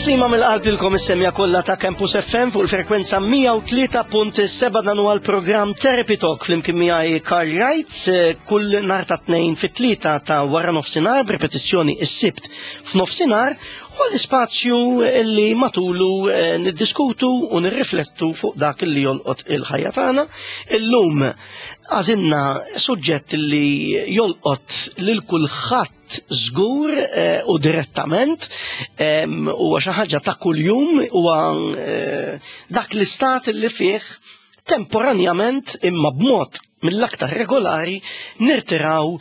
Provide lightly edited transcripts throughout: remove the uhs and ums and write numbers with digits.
Tislima mill-qalb lilkom is-semja kollha ta' Campus FM fuq il-frekwenza 103.7 dan huwa l-programm Therapy Talk flimkien miegħi Karl Wright eh, kull nhar ta' tnejn fit-tlieta ta' wara nofsinhar b'repetizzjoni s-sibt f'nofsinhar u l-ispazju li matulu eh, niddiskutu u nirriflettu fuq dak li jolqot il-ħajja tagħna. Illum għażilna suġġett li jolqot lil kulħadd żgur eh, u direttament huwa xi ħaġa ta' kuljum huwa eh, dak l-istat li fih temporanjament imma b'mod mill-aktar regolari nirtiraw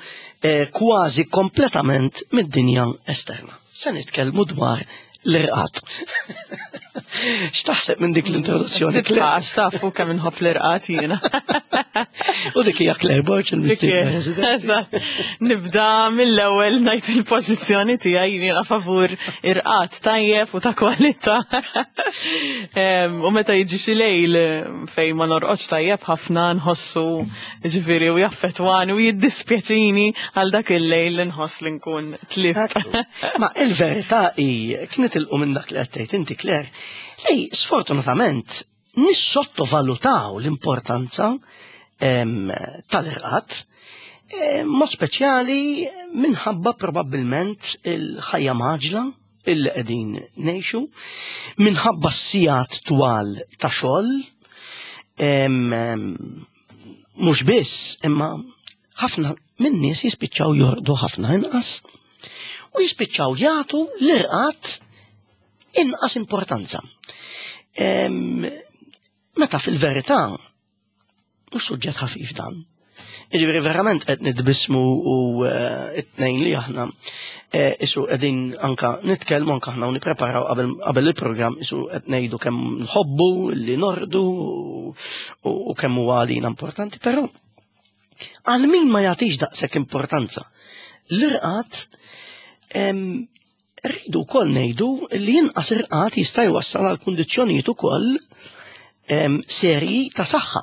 eh, kważi kompletament mid-dinja esterna. Se nitkellmu dwar l-irqat. X'taħseb minn dik l-introduzzjoni? Titlax tafu kemm inħobb l-irqat jiena. U dik hija Claire Borg il-mistiedna. Nibda mill-ewwel ngħid il-pożizzjoni tiegħi jiena favur irqat tajjeb u ta' kwalità. U meta jiġi xi lejl fejn ma norqodx tajjeb ħafna nħossu ġifieri u jaffettwani u jiddispjaċini għal dak il-lejl li nħoss li nkun tlift. Ma il-verità hi kien nitilqu minn dak li qed tgħid inti Claire, li sfortunatament nissottovalutaw l-importanza tal-irqad, mod speċjali minħabba probabbilment il-ħajja maġla illi qegħdin ngħixu, minħabba s-sigħat twal ta' xogħol, mhux biss, imma ħafna minn nies jispiċċaw jorqdu ħafna inqas u jispiċċaw jagħtu l-irqad inqas importanza. Meta fil-verità mhux suġġett ħafif dan. Jiġifieri verament qed nitbismu u eh, it-tnejn li aħna eh, isu qegħdin anka nitkellmu anka aħna u nippreparaw qabel il-programm isu qed ngħidu kemm nħobbu li nordu u kemm huwa għalina importanti, però Għal min ma jagħtix daqshekk importanza. L-irqad rridu wkoll ngħidu li inqas irqad jista' jwassal għal kundizzjonijiet ukoll serji ta' saħħa.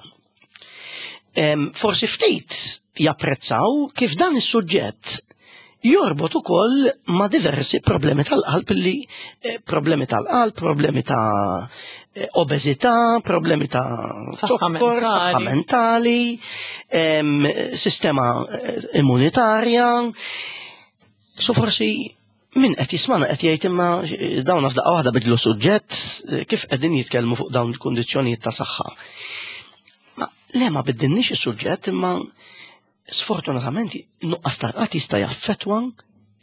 Forsi ftit japprezzaw kif dan is-suġġett jorbot ukoll ma' diversi problemi tal-qalb li eh, problemi tal-qalb, problemi ta' eh, obeżità, problemi ta' zokkor, saħħa mentali, sistema eh, immunitarja. So forsi min qed jismana qed jgħid imma dawn f'daqqa waħda bidlu suġġett kif qegħdin jitkellmu fuq dawn il-kundizzjonijiet ta' saħħa. Ma le ma biddilniex is-suġġett imma Sfortunatament, nuqqas ta' rqad jista' jaffettwa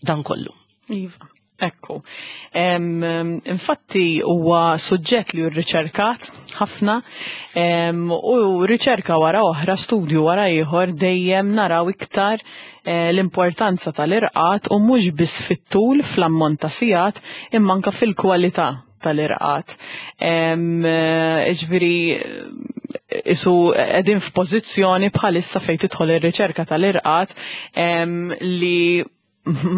dan kollu. Iva. Ekku. Infatti huwa suġġett li rriċerkat ħafna u riċerka wara oħra, studju wara ieħor dejjem naraw iktar eh, l-importanza tal-irqat u mhux biss fit-tul fl-ammont ta' sigħat imma anke fil-kwalità tal-irqat. Eh, ġifieri isu qegħdin f'pożizzjoni bħalissa fejn tidħol ir-riċerka tal-irqat li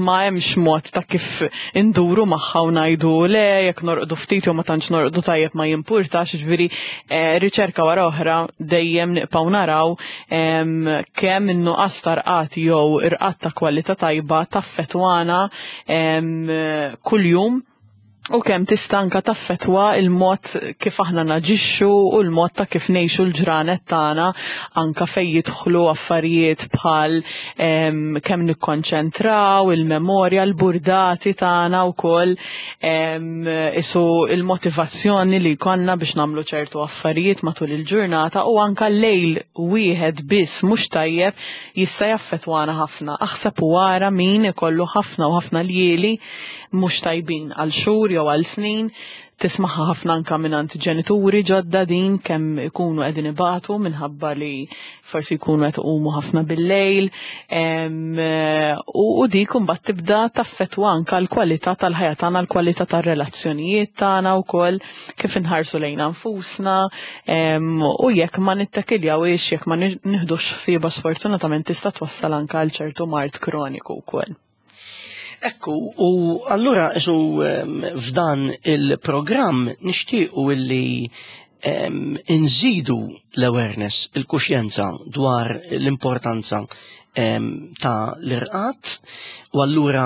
ma hemmx mod ta' kif induru magħha u ngħidu le jekk norqdu ftit jew ma tantx norqdu tajjeb ma jimpurtax, ġifieri eh, riċerka wara oħra dejjem nibqgħu naraw kemm in-nuqqas ta' rqat jew irqat ta' kwalità tajba taffetwana kuljum u kemm tista' anka taffettwa il-mod kif aħna naġixxu u l-mod ta' kif ngħixu l-ġranet tagħna anka fejn jidħlu affarijiet bħal kemm nikkonċentraw, il-memorja, l-burdati tagħna wkoll isu il-motivazzjoni li jkollna biex nagħmlu ċertu affarijiet matul il-ġurnata u anka lejl wieħed biss mhux tajjeb jista' jaffettwana ħafna. Aħseb u ara min ikollu ħafna u ħafna ljieli mhux tajbin għal xhur jew għal snin, tismaħħa ħafna anka mingħand ġenituri ġodda din kemm ikunu qegħdin ibatu minħabba li forsi jkunu qed iqumu ħafna bil-lejl u dik imbagħad tibda taffettwa anka l-kwalità tal-ħajja tagħna, l-kwalità tar-relazzjonijiet tagħna wkoll kif inħarsu lejna nfusna u jekk ma nittekiljawhiex jekk ma nieħdux ħsiebha sfortunatament tista' twassal anka għal ċertu mard kroniku wkoll. Ekku, u allura isu f'dan il-programm nixtiequ illi nżidu l-awareness, il-kuxjenza dwar l-importanza ta' l-irqat u allura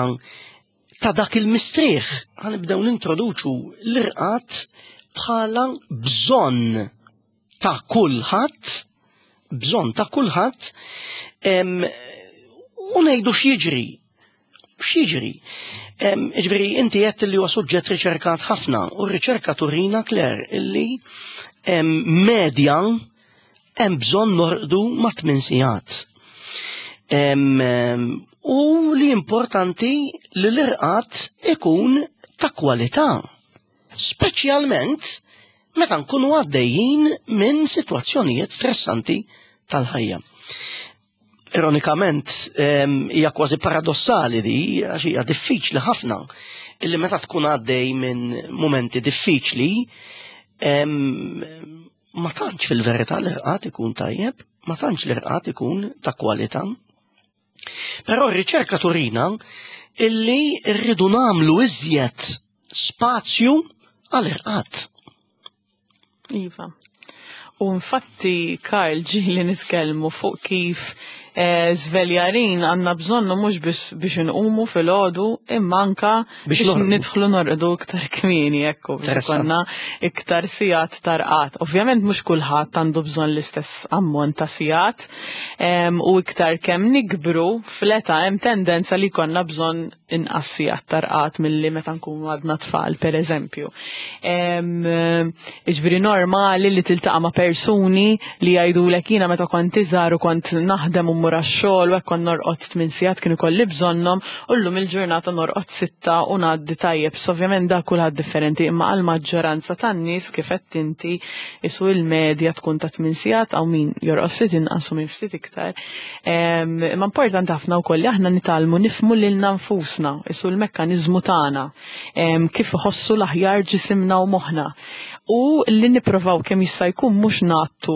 ta' dak il-mistrieħ. Ħanibdew nintroduċu l-irqad bħala bżonn ta' kulħadd, bżonn ta' kulħadd, u ngħidu x'jiġri. X'jiġri? Ġifieri inti qed li huwa suġġett riċerkat ħafna u r-riċerka turina Claire illi medja hemm bżonn norqdu ma' tmien sigħat. U li importanti li l-irqad ikun ta' kwalità. Speċjalment meta nkunu għaddejjin minn sitwazzjonijiet stressanti tal-ħajja. Ironikament, hija kważi paradossali di, għax hija diffiċli ħafna, illi meta tkun għaddej minn momenti diffiċli, ma tantx fil-verità l-irqad ikun tajjeb, ma tantx l-irqad ikun ta' kwalità. Però r-riċerka turina illi rridu nagħmlu iżjed spazju għall-irqad. Iva. U infatti, Karl, ġieli nitkellmu fuq kif eh, żveljarin għandna bżonnu mhux biss biex inqumu filgħodu imma anka biex nidħlu norqdu iktar kmieni ekku biex ikollna iktar sigħat tarqat. Ovvjament mhux kulħadd għandu bżonn l-istess ammont ta' sigħat u iktar kemm nikbru fl-età hemm tendenza li jkollna bżonn inqas sigħat ta' rqad milli meta nkunu għadna tfal, per eżempju. Iġviri normali li tiltaqa' ma' persuni li jgħidulek jiena meta kont iżgħar u kont naħdem u mmur għax-xogħol u hekk kont norqod tmien sigħat kienu jkolli bżonnhom u llum il-ġurnata norqod sitta u ngħaddi tajjeb. So ovvjament da kulħadd differenti imma għall-maġġoranza tan-nies kif qed inti isu il-medja tkun ta' tmien sigħat hawn min jorqod ftit inqas u min ftit iktar. Imma importanti ħafna wkoll li aħna nitgħallmu nifhmu lilna nfusna, isu l-mekkaniżmu tagħna, kif iħossu l-aħjar ġisimna u moħħna. U li nipprovaw kemm jista' jkun mhux ngħattu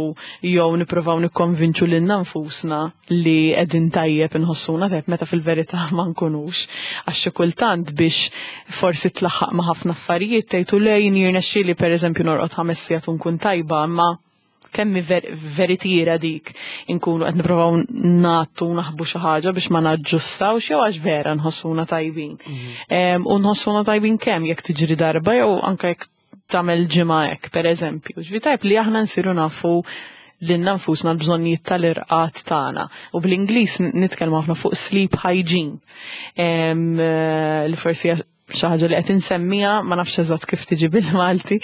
jew nipprovaw nikkonvinċu lilna nfusna li qegħdin tajjeb inħossuna tajjeb meta fil-verità ma nkunux. Għax xi kultant biex forsi tlaħħaq ma' ħafna affarijiet tgħidu le jien jirnexxieli pereżempju norqod ħames sigħat u nkun tajba, imma kemm hi veritiera dik inkunu qed nipprovaw nagħtu naħbu xi ħaġa biex ma naġġustawx jew għax vera nħossuna tajbin. Mhm. U nħossuna tajbin kemm jekk tiġri darba jew anke jekk tagħmel ġimgħa hekk, pereżempju. Ġvi tajb li aħna nsiru nafu lilna nfusna l-bżonnijiet tal-irqat tagħna. U bl-Ingliż nitkellmu ħafna fuq sleep hygiene. Eh, li forsi xi ħaġa li qed insemmija, ma nafx eżatt kif tiġi bil-Malti,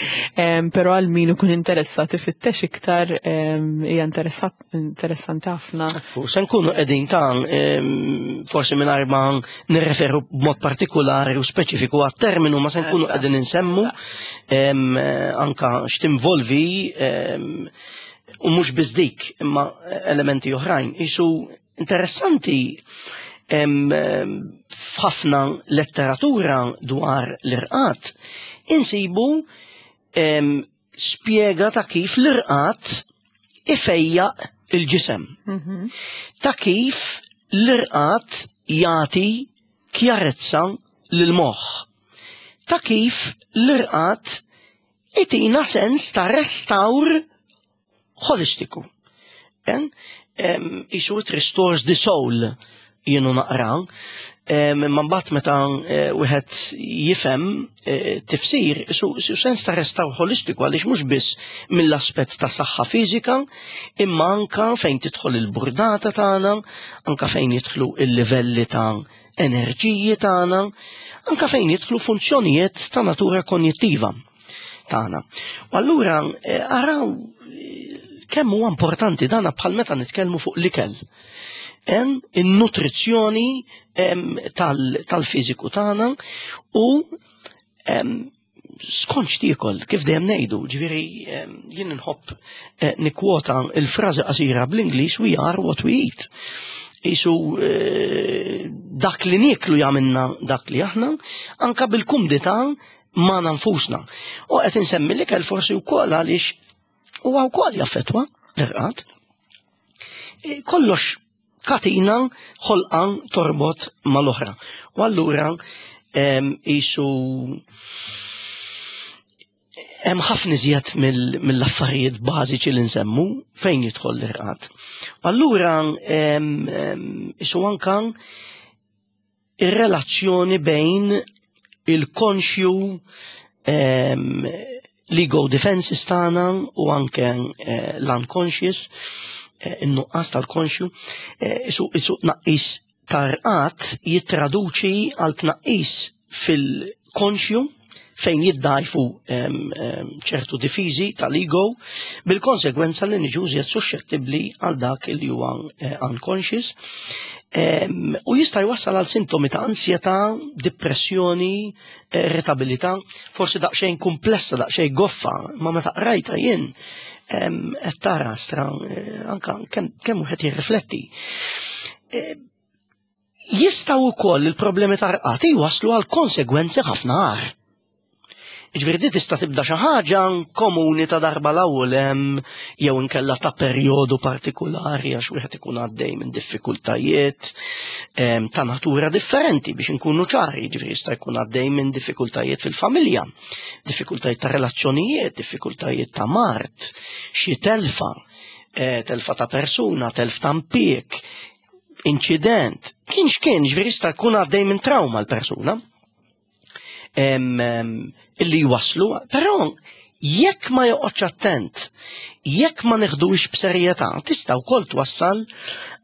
però għal min ikun interessat ifittex iktar hija interessanti ħafna. U se nkunu qegħdin ta' forsi mingħajr ma nirreferu b'mod partikolari u speċifiku għat-terminu ma se nkunu qegħdin insemmu anka x'tinvolvi u mhux biss dik imma elementi oħrajn. Isu Interessanti f'ħafna letteratura dwar l-irqat insibu spjega ta' kif l-irqat ifejjaq il-ġisem. Mhm. Ta' kif l-irqat jagħti kjarezza lil-moħħ. Ta' kif l-irqat itina sens ta' restawr holistiku. Isu it restores the soul jienu naqra. Ma mbagħad meta eh, wieħed jifhem eh, tifsir, isu sens ta' restawr holistiku għaliex mhux biss mill-aspett ta' saħħa fiżika, imma anka fejn tidħol il-burdata tagħna, anka fejn jidħlu il-livelli ta' enerġiji tagħna, anka fejn jidħlu funzjonijiet ta' natura konjittiva. tagħna. U allura eh, araw eh, kemm huwa importanti dana bħal meta nitkellmu fuq l-ikel. Hemm in-nutrizzjoni tal-fiżiku tagħna u skont x'tiekol, kif dejjem ngħidu, ġifieri jien nħobb eh, nikkwota il-frażi qasira bl-Ingliż we are what we eat. Isu dak li nieklu jagħmilna dak li aħna, anka bil-kumdità magħna nfusna. U qed insemmi l-ikel forsi wkoll għaliex huwa wkoll jaffettwa l-irqad. E, kollox katina ħolqa torbot mal-oħra. U allura isu hemm ħafna iżjed mill-affarijiet bażiċi li nsemmu fejn jidħol l-irqad. Allura isu anka Ir-relazzjoni bejn il-konxju, l-ego defenses tagħna u anke l-unconscious, in-nuqqas tal-konxju, isu tnaqqis tar-rqad jittraduċi għal tnaqqis fil-konxju fejn jiddajfu ċertu difiżi tal-ego, bil-konsegwenza li niġu iżjed suscettibbli għal dak li huwa unconscious u jista' jwassal għal sintomi ta' ansjetà, depressjoni, irritabilità, forsi daqsxejn komplessa, daqsxejn goffa, ma meta qrajta jien qed tara stra anka kemm wieħed jirrifletti. Jistgħu wkoll il-problemi ta' rqad jwasslu għal konsegwenzi ħafna agħar. Ġifieri di tista' tibda xi ħaġa komuni ta' darba l-ewwel hemm jew inkella ta' perjodu partikulari għax wieħed ikun għaddej minn diffikultajiet ta' natura differenti, biex inkunu ċari, ġifieri jista' jkun għaddej minn diffikultajiet fil-familja, diffikultajiet ta' relazzjonijiet, diffikultajiet ta' mard, xi telfa, telfa ta' persuna, telf ta' impjieg, inċident, kien x'kien, ġifieri jista' jkun għaddej minn trauma l-persuna illi jwaslu, però jekk ma joqgħodx attent, jekk ma neħdux b'serjetà, tista' wkoll twassal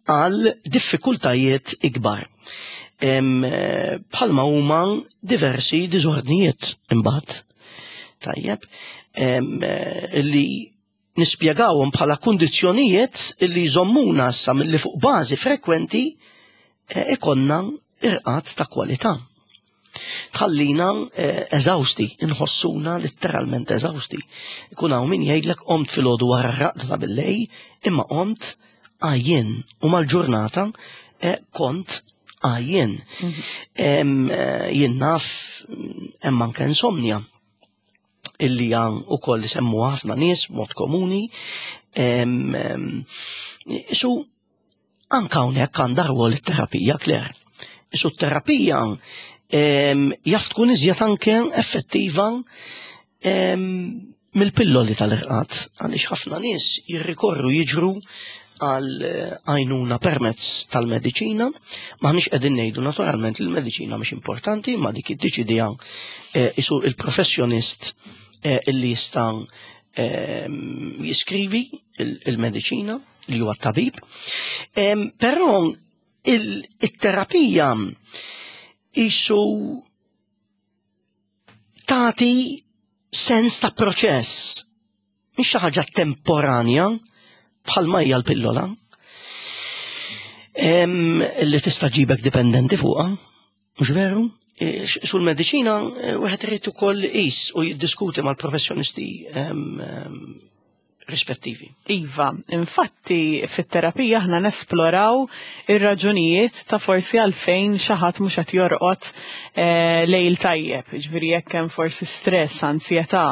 għal diffikultajiet ikbar. Bħalma huma diversi diżordnijiet imbagħad. Tajjeb, li nispjegawhom bħala kundizzjonijiet li jżommuna issa milli fuq bażi frekwenti ikonna irqad ta' kwalità. Tħallina eżawsti, inħossuna letteralment eżawsti. Ikun hawn min jgħidlek qomt filgħodu wara r-raqda ta' billejl, imma qomt għajjien u mal-ġurnata kont għajjien. Jien naf hemm anke insomnia illi għan u koll semmu ħafna nies mod komuni. Isu anka hawnhekk għandha rwol it-terapija, Claire. Isu t-terapija jaf tkun iżjed anke effettiva mill-pilloli tal-irqad, għaliex ħafna nies jirrikorru jiġru għal għajnuna permezz tal-mediċina. M'aħniex qegħdin ngħidu naturalment li l-mediċina mhix importanti, ma dik iddeċidiha isu il-professjonist illi jista' jiskrivi il-mediċina li huwa tabib. Però il-terapija isu tagħti sens ta' proċess, mhix xi ħaġa temporanja bħalma hija l-pillola li tista' ġibek dipendenti fuqha, mhux veru? Sul mediċina wieħed irid ukoll iqis u jiddiskuti mal-professjonisti rispettivi. Iva, infatti fit-terapija aħna nesploraw ir-raġunijiet ta' forsi għalfejn xi ħadd mhux qed jorqod lejl tajjeb, ġifieri jekk hemm forsi stress, ansjetà,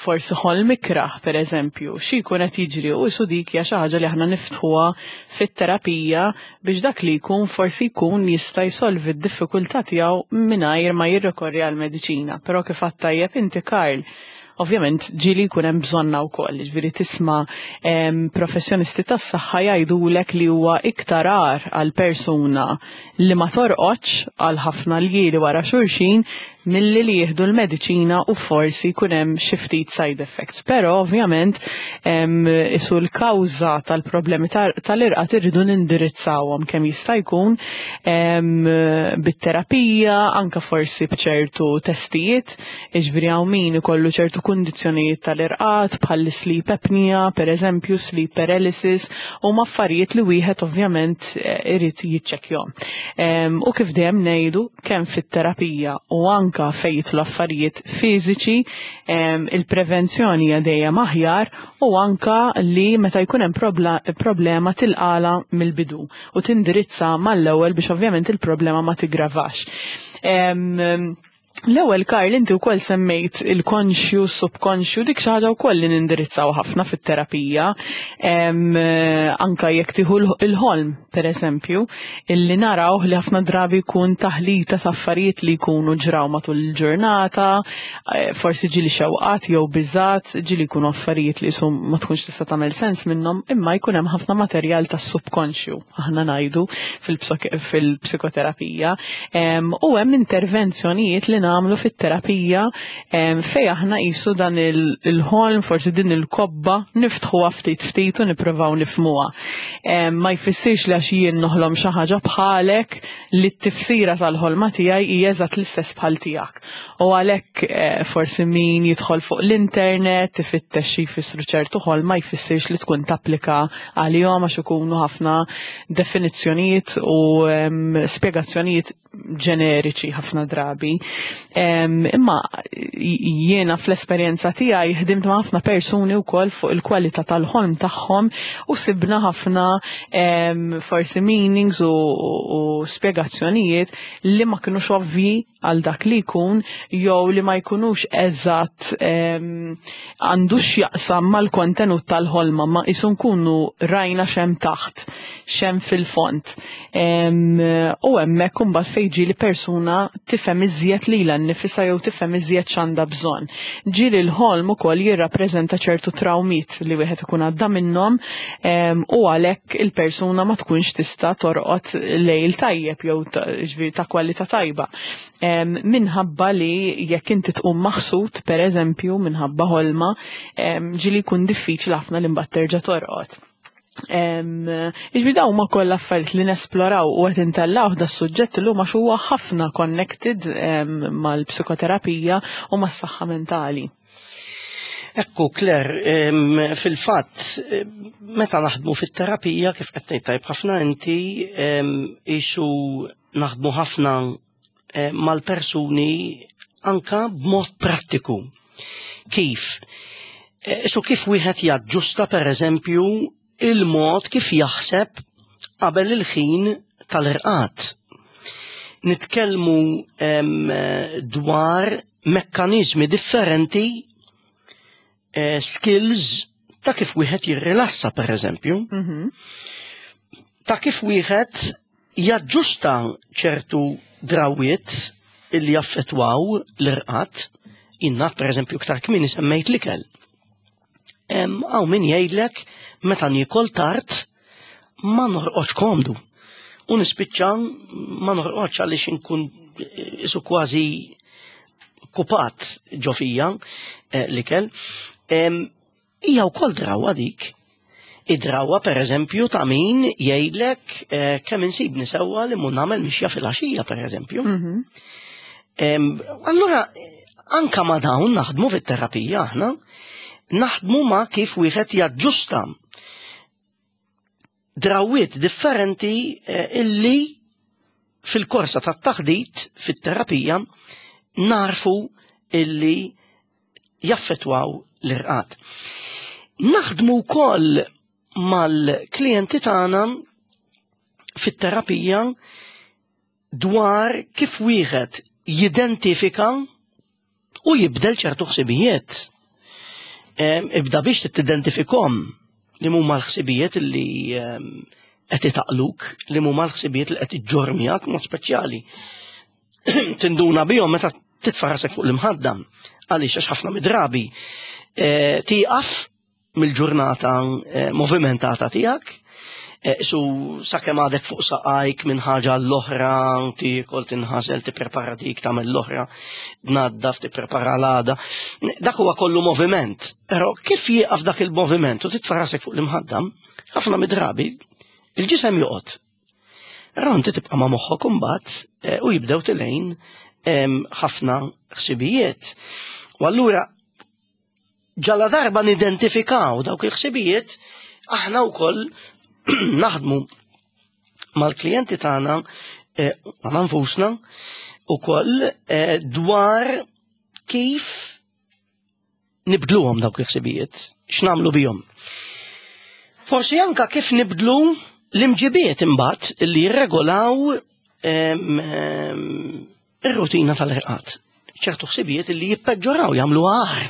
forsi ħolm ikrah per eżempju, xi jkun qed jiġri, u isu dik hija xi ħaġa li aħna niftħuha fit-terapija biex dak li jkun forsi jkun jista' jsolvi d-diffikultà tiegħu mingħajr ma jirrikorri għal mediċina. Però kif għedt tajjeb inti, Karl, ovvjament ġieli jkun hemm bżonna wkoll, ġifieri tisma' professjonisti tas-saħħa jgħidulek li huwa iktar agħar għal persuna li ma torqodx għal ħafna ljieli wara xulxin milli li jieħdu l-mediċina u forsi jkun hemm xi ftit side effects. Però ovvjament isu l-kawża tal-problemi tal-irqad irridu nindirizzawhom kemm jista' jkun bit-terapija, anka forsi b'ċertu testijiet, jiġifieri hawn min ikollu ċertu kundizzjonijiet tal-irqad bħal sleep apnea, per eżempju, sleep paralysis, huma affarijiet li wieħed ovvjament irid jiċċekkjahom. U kif dejjem ngħidu, kemm fit-terapija u anka fejn jidħlu affarijiet fiżiċi, il-prevenzjoni hija dejjem aħjar, u anka li meta jkun hemm problema tilqala mill-bidu u tindirizza mal-ewwel biex ovvjament il-problema ma tigravax. L-ewwel Karl inti wkoll semmejt il-konxju, subkonxju, dik xi ħaġa wkoll li nindirizzaw ħafna fit-terapija. Anka jekk tieħu il-ħolm, pereżempju, illi naraw li ħafna drabi jkun taħlita ta' affarijiet li jkunu ġraw matul il-ġurnata, eh, forsi ġili xewqat jew biżat, ġili jkunu affarijiet li sum ma tkunx tista' tagħmel sens minnhom, imma jkun hemm ħafna materjal tas-subkonxju aħna ngħidu fil-psikoterapija. U hemm intervenzjonijiet li nagħmlu fit-terapija fej aħna qisu dan il-ħolm, forsi din il-kobba, niftħuha ftit ftit u nippruvaw nifhmuha. Ma jfissirx li għax jien noħlom xi ħaġa bħalek li t-tifsira tal-ħolma tiegħi hija eżatt l-istess bħal tiegħek. U għalhekk eh, forsi min jidħol fuq l-internet ifittex xi jfissru ċertu ħol ma jfissirx li tkun tapplika għalihom għax ikunu ħafna definizzjonijiet u spjegazzjonijiet ġeneriċi ħafna drabi. Imma jiena fl-esperjenza tiegħi ħdimt ma' ħafna persuni wkoll fuq il-kwalità tal-ħolm tagħhom u sibna ħafna forsi meanings u, u spjegazzjonijiet li ma kinux ovvji għal dak li jkun jew li ma jkunux eżatt għandu x'jaqsam mal-kontenut tal-ħolma ma qisu nkunu rajna x'hemm taħt, x'hemm fil-fond. U hemmhekk imbagħad fejn ġieli persuna tifhem iżjed lilha nnifisha jew tifhem iżjed x'għandha bżonn. Ġieli l-ħolm ukoll jirrappreżenta ċertu trawmiet li wieħed ikun għadda minnhom u għalhekk il-persuna ma tkunx tista' torqod lejl tajjeb jew ġifieri ta' kwalità tajba. Minħabba li jekk inti tqum maħsud, pereżempju, minħabba ħolma, ġieli jkun diffiċli ħafna li mbagħad terġa' torqod. Ġifieri dawn huma kollha affarijiet li nesploraw u qed intellaw da suġġett illum għax huwa ħafna connected mal-psikoterapija u mas-saħħa mentali. Ekku, Claire, fil-fatt, meta naħdmu fit-terapija, kif qed tgħid tajb ħafna inti, isu naħdmu ħafna eh, mal-persuni anka b'mod prattiku. Kif? Eh, isu kif wieħed jaġġusta per eżempju il-mod kif jaħseb qabel il-ħin tal-irqad. Nitkellmu dwar mekkaniżmi differenti, eh, skills ta' kif wieħed jirrilassa per eżempju, mhm. ta' kif wieħed jaġġusta ċertu drawiet illi jaffetwaw l-irqad, jinnaf per eżempju iktar kmieni semmejt l-ikel. Hawn min jgħidlek meta niekol tard ma norqodx komdu. U nispiċċa ma norqodx għaliex inkun eh, isu kważi kupat ġo fija eh, l-ikel. Hija wkoll drawwa dik. Id-drawwa pereżempju ta' min jgħidlek eh, kemm insibni sewwa li mun nagħmel mixja fil-għaxija pereżempju. Mhm. Allura anka ma' dawn naħdmu fit-terapija aħna, naħdmu ma' kif wieħed jaġġusta drawiet differenti eh, illi fil-korsa tat-taħdit fit-terapija narfu illi jaffetwaw l-irqad. Naħdmu wkoll mal-klijenti tagħna fit-terapija dwar kif wieħed jidentifika u jibdel ċertu ħsibijiet. Ibda biex tidentifikhom li huma l-ħsibijiet li qed itaqluk, li huma l-ħsibijiet li qed iġġorr miegħek mod speċjali. Tinduna bihom meta titfa' rasek fuq l-imħadda. Għaliex għax ħafna midrabi eh, tieqaf mill-ġurnata eh, movimentata tiegħek, eh, su sakemm għadek fuq saqajk minn ħaġa l-oħra, tiekol tinħasel, tipprepara dik tagħmel l-oħra, tnaddaf, tipprepara l-għada. Dak huwa kollu moviment. Però kif jieqaf dak il-moviment u titfa' rasek fuq l-imħadda, ħafna midrabi il-ġisem joqgħod. Però inti tibqa' ma' moħħok imbagħad eh, u jibdew tilejn ħafna ħsibijiet. U allura ġala darba nidentifikaw dawk il-ħsibijiet, aħna wkoll naħdmu mal-klijenti tagħna eh, ma' nfusna ukoll eh, dwar kif nibdluhom dawk il-ħsibijiet, x'nagħmlu bihom. Forsi anka kif nibdlu l-imġibiet imbagħad li jirregolaw ir-rutina tal-irqad. ċertu ħsibijiet li jippeġġoraw jagħmlu agħar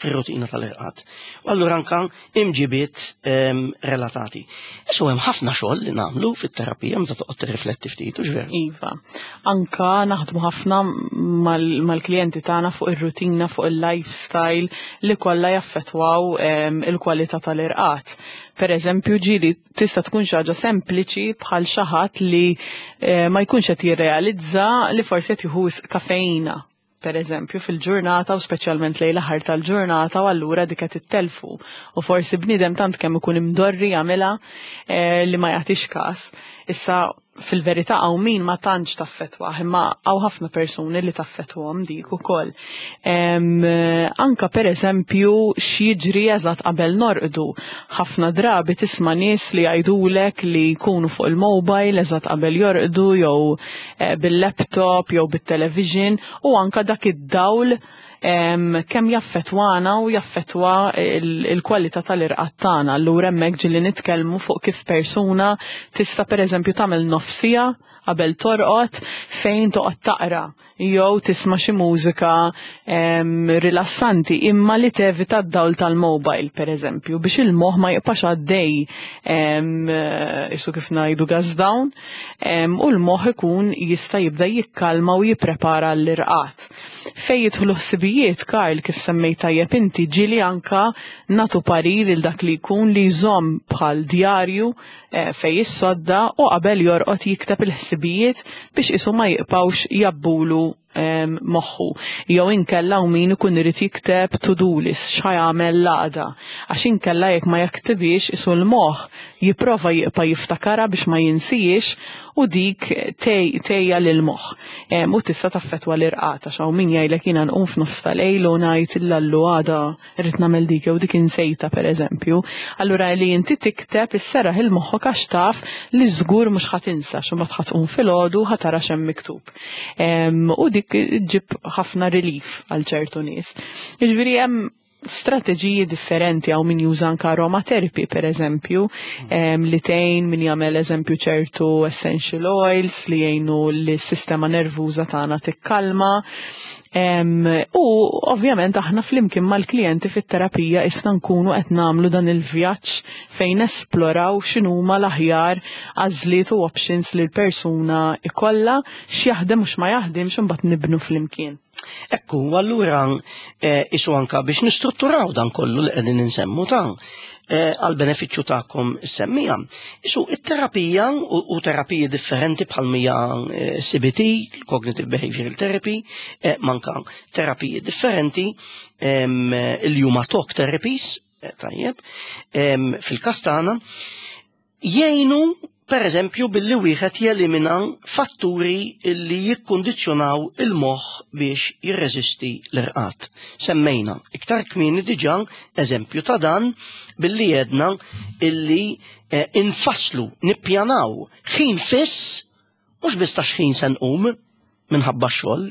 ir-rutina tal-irqad. U allura anka imġibiet ehm, relatati. Isu hemm ħafna xogħol li nagħmlu fit-terapija meta toqgħod tirrifletti ftit, u veru. Iva. Anka naħdmu ħafna mal-klijenti tagħna fuq ir-rutina, fuq il-lifestyle li kollha jaffettwaw ehm, il-kwalità tal-irqad. Per eżempju, ġieli tista' tkun xi ħaġa sempliċi bħal xi ħadd li eh, ma jkunx qed jirrealizza li forsi qed jieħu kafeina per eżempju, fil-ġurnata u speċjalment lejn l-aħħar tal-ġurnata u allura dik qed ittelfu. U forsi bniedem tant kemm ikun imdorri jagħmilha eh, li ma jagħtix każ. Issa fil-verità hawn min ma tantx taffettwah, imma hawn ħafna persuni li taffettwahom dik ukoll. Anka per eżempju x'jiġri eżatt qabel norqdu. Ħafna drabi tisma' nies li jgħidulek li jkunu fuq il-mobile eżatt qabel jorqdu jew eh, bil-laptop jew bit-television u anka dak id-dawl kemm jaffetwana u jaffetwa il-kwalità tal-irqad tagħna. Allura hemmhekk ġieli nitkellmu fuq kif persuna tista' pereżempju tagħmel nofsija qabel torqod fejn toqgħod taqra jew tisma' xi mużika rilassanti imma li tevita d-dawl tal-mobile pereżempju biex il-moħħ ma jibqax għaddej isu kif ngħidu gas down u l-moħħ ikun jista' jibda jikkalma u jipprepara l-irqad. Fejn jidħlu ħsibijiet, Karl, kif semmejt tajjeb inti, ġieli anka nagħtu parir lil dak li jkun li jżomm bħal djarju eh, fejn jissodda u qabel jorqod jikteb il-ħsibijiet biex isu ma jibqgħux jabbulu moħħu. Jew inkella u min ikun irid jikteb to-do list x'ħa jagħmel l-għada. Għax inkella jekk ma jaktibix isu l-moħħ jipprova jibqa' jiftakarha biex ma jinsijiex u dik tgħejja lill-moħħ u tista' taffettwa l-irqad għax hawn min jgħidlek jiena nqum f'nofs ta' lejl u ngħid illallu għada rrid nagħmel dik jew dik insejtha pereżempju. Allura li inti tikteb isserraħ il-moħħok għax taf li żgur mhux ħa tinsa għax imbagħad ħa tqum filgħodu ħa tara x'hemm miktub. U dik ġġib ħafna relief għal ċertu nies. Jiġifieri hemm strateġiji differenti għaw min juża anka aromatherapy per eżempju, li tgħin min jagħmel eżempju ċertu essential oils li jgħinu li s-sistema nervuża tagħna tikkalma. U ovvjament aħna flimkien mal-klijenti fit-terapija issa nkunu qed nagħmlu dan il-vjaġġ fejn nesploraw x'inhuma l-aħjar għażliet u options li l-persuna ikollha x'jaħdem u x'ma jaħdimx imbagħad nibnu flimkien. Ekku, allura eh, isu anka biex nistrutturaw dan kollu li qegħdin insemmu ta' eh, għal benefiċċju tagħkom semmija. Isu it-terapija u terapiji differenti bħal mija eh, CBT, Cognitive Behavioral Therapy, manka terapiji differenti il-juma talk therapies, tajjeb, fil-kastana, Jgħinu, pereżempju, billi wieħed jelimina fatturi li jikkundizzjonaw il-moħħ biex jirreżisti l-irqad. Semmejna iktar kmieni diġà eżempju ta' dan billi għedna illi eh, infasslu, nippjanaw ħin fiss mhux biss ta' xħin se nqum minħabba x-xogħol,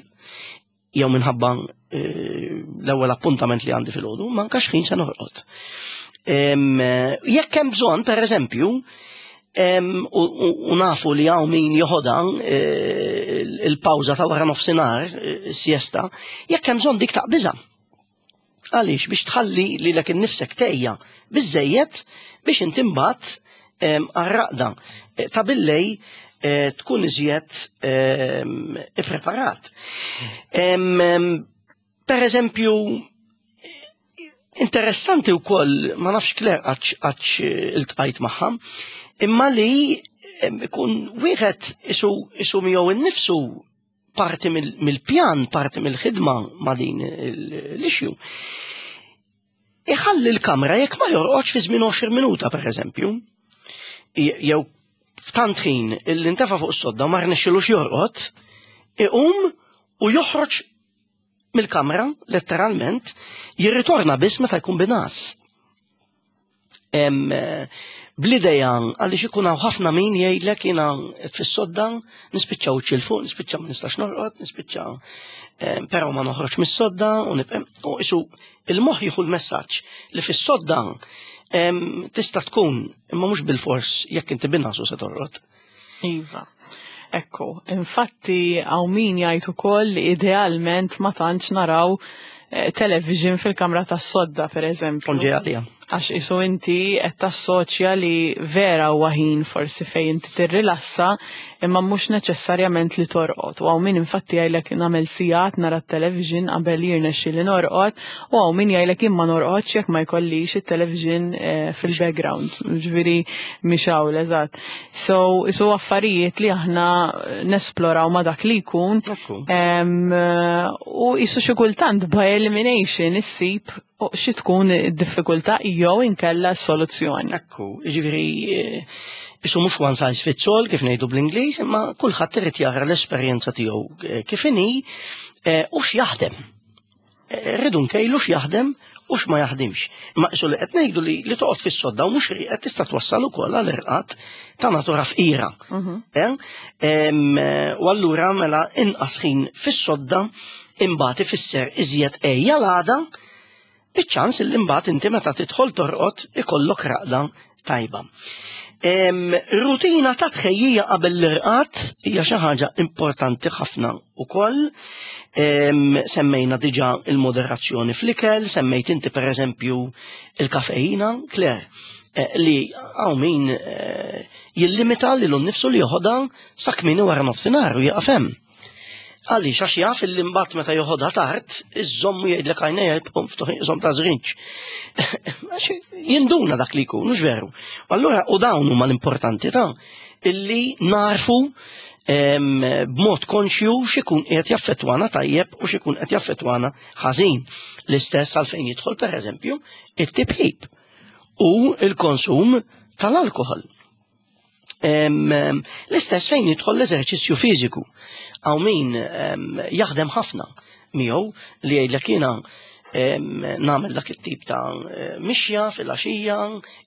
jew minħabba eh, l-ewwel appuntament li għandi fil-ħodu, ma anka xħin se norqod. Jekk hemm bżonn, per eżempju, u nafu li hawn min joħodha eh, il-pawża ta' wara nofsinhar, eh, siesta, jekk hemm bżonn dik taqbiża. Għaliex biex tħalli lilek innifsek tejja biżejjed biex inti mbagħad għar-raqda eh, ta' billej eh, tkun iżjed ippreparat. Per eżempju, interessanti wkoll, ma nafx Claire għax iltqajt magħha, imma li ikun wieħed isu miegħu innifsu parti mill-pjan, parti mill-ħidma ma' din l-issue. Iħalli l-kamra jekk ma jorqodx fi żmien 20 minuta per eżempju, jew f'tant ħin illi ntefa' fuq is-sodda ma rnexxilux jorqod, iqum u joħroġ mill-kamra, letteralment, jirritorna biss meta jkun binas. Bl-ideja għaliex ikun hawn ħafna min jgħidlek jiena fis-sodda nispiċċa wiċċi 'l fuq, nispiċċa ma nistax norqod, nispiċċa però ma noħroġ mis-sodda u nibqa' u isu il-moħħ jieħu l-messaġġ li fis-sodda tista' tkun imma mhux bilfors jekk inti binnasu se torqod. Iva. Ekku, infatti hawn min jgħid ukoll li idealment ma tantx naraw eh, television fil-kamra tas-sodda pereżempju. Konġi għalija. Għax isu inti qed tassoċja li vera huwa ħin forsi fejn inti tirrilassa imma mhux neċessarjament li torqod. U hawn min infatti jgħidlek nagħmel sigħat nara t-television qabel jirnexxi li norqod u hawn min jgħidlek imma norqodx jekk ma jkollix it-television eh, fil-background. Ġifieri mhix hawn eżatt. So, isu affarijiet li aħna nesploraw ma dak li jkun. U isu xi kultant by elimination issib xi tkun id-diffikultà jew inkella s-soluzzjoni. Ekku, ġifieri eh, isu mhux one size fits all kif ngħidu bl-Ingliż, imma kulħadd irid jara l-esperjenza tiegħu eh, kif inhi eh, u x'jaħdem. Rridu nkejlu x'jaħdem u x'ma jaħdimx. Imma isu li qed ngħidu li li toqgħod fis-sodda u mhux rieqed tista' twassal ukoll għal irqad ta' natura fqira. Mhm. Eh, u allura mela inqas ħin fis-sodda imbagħad ifisser iżjed ejja l-għada biċ-ċans li mbagħad inti meta tidħol torqod ikollok raqda tajba. Rutina ta' tħejjija qabel l-irqad hija xi ħaġa importanti ħafna ukoll. Semmejna diġà il-moderazzjoni fl-ikel, semmejt inti pereżempju il-kafeina, Claire, eh, li hawn min eh, jillimita lilu nnifsu li joħodha sa kmieni wara nofsinhar u jieqaf hemm. Għaliex għax jaf illi mbagħad meta joħodha tard, iżommu jgħidlek għajnejha jibqgħu mftuħin iżomm ta' żrinġ. Jinduna dak li jkun, mhux veru. Allura u dawn huma l-importanti ta' illi narfu b'mod konxju x'ikun qiegħed jaffettwana tajjeb u x'ikun qed jaffettwana ħażin. L-istess għalfejn jidħol pereżempju it-tipjip u l-konsum tal-alkohol. L-istess fejn jidħol l-eżerċizzju fiżiku. Hawn min jaħdem ħafna miegħu li jgħidlek jiena nagħmel dak it-tip ta' mixja fil-għaxija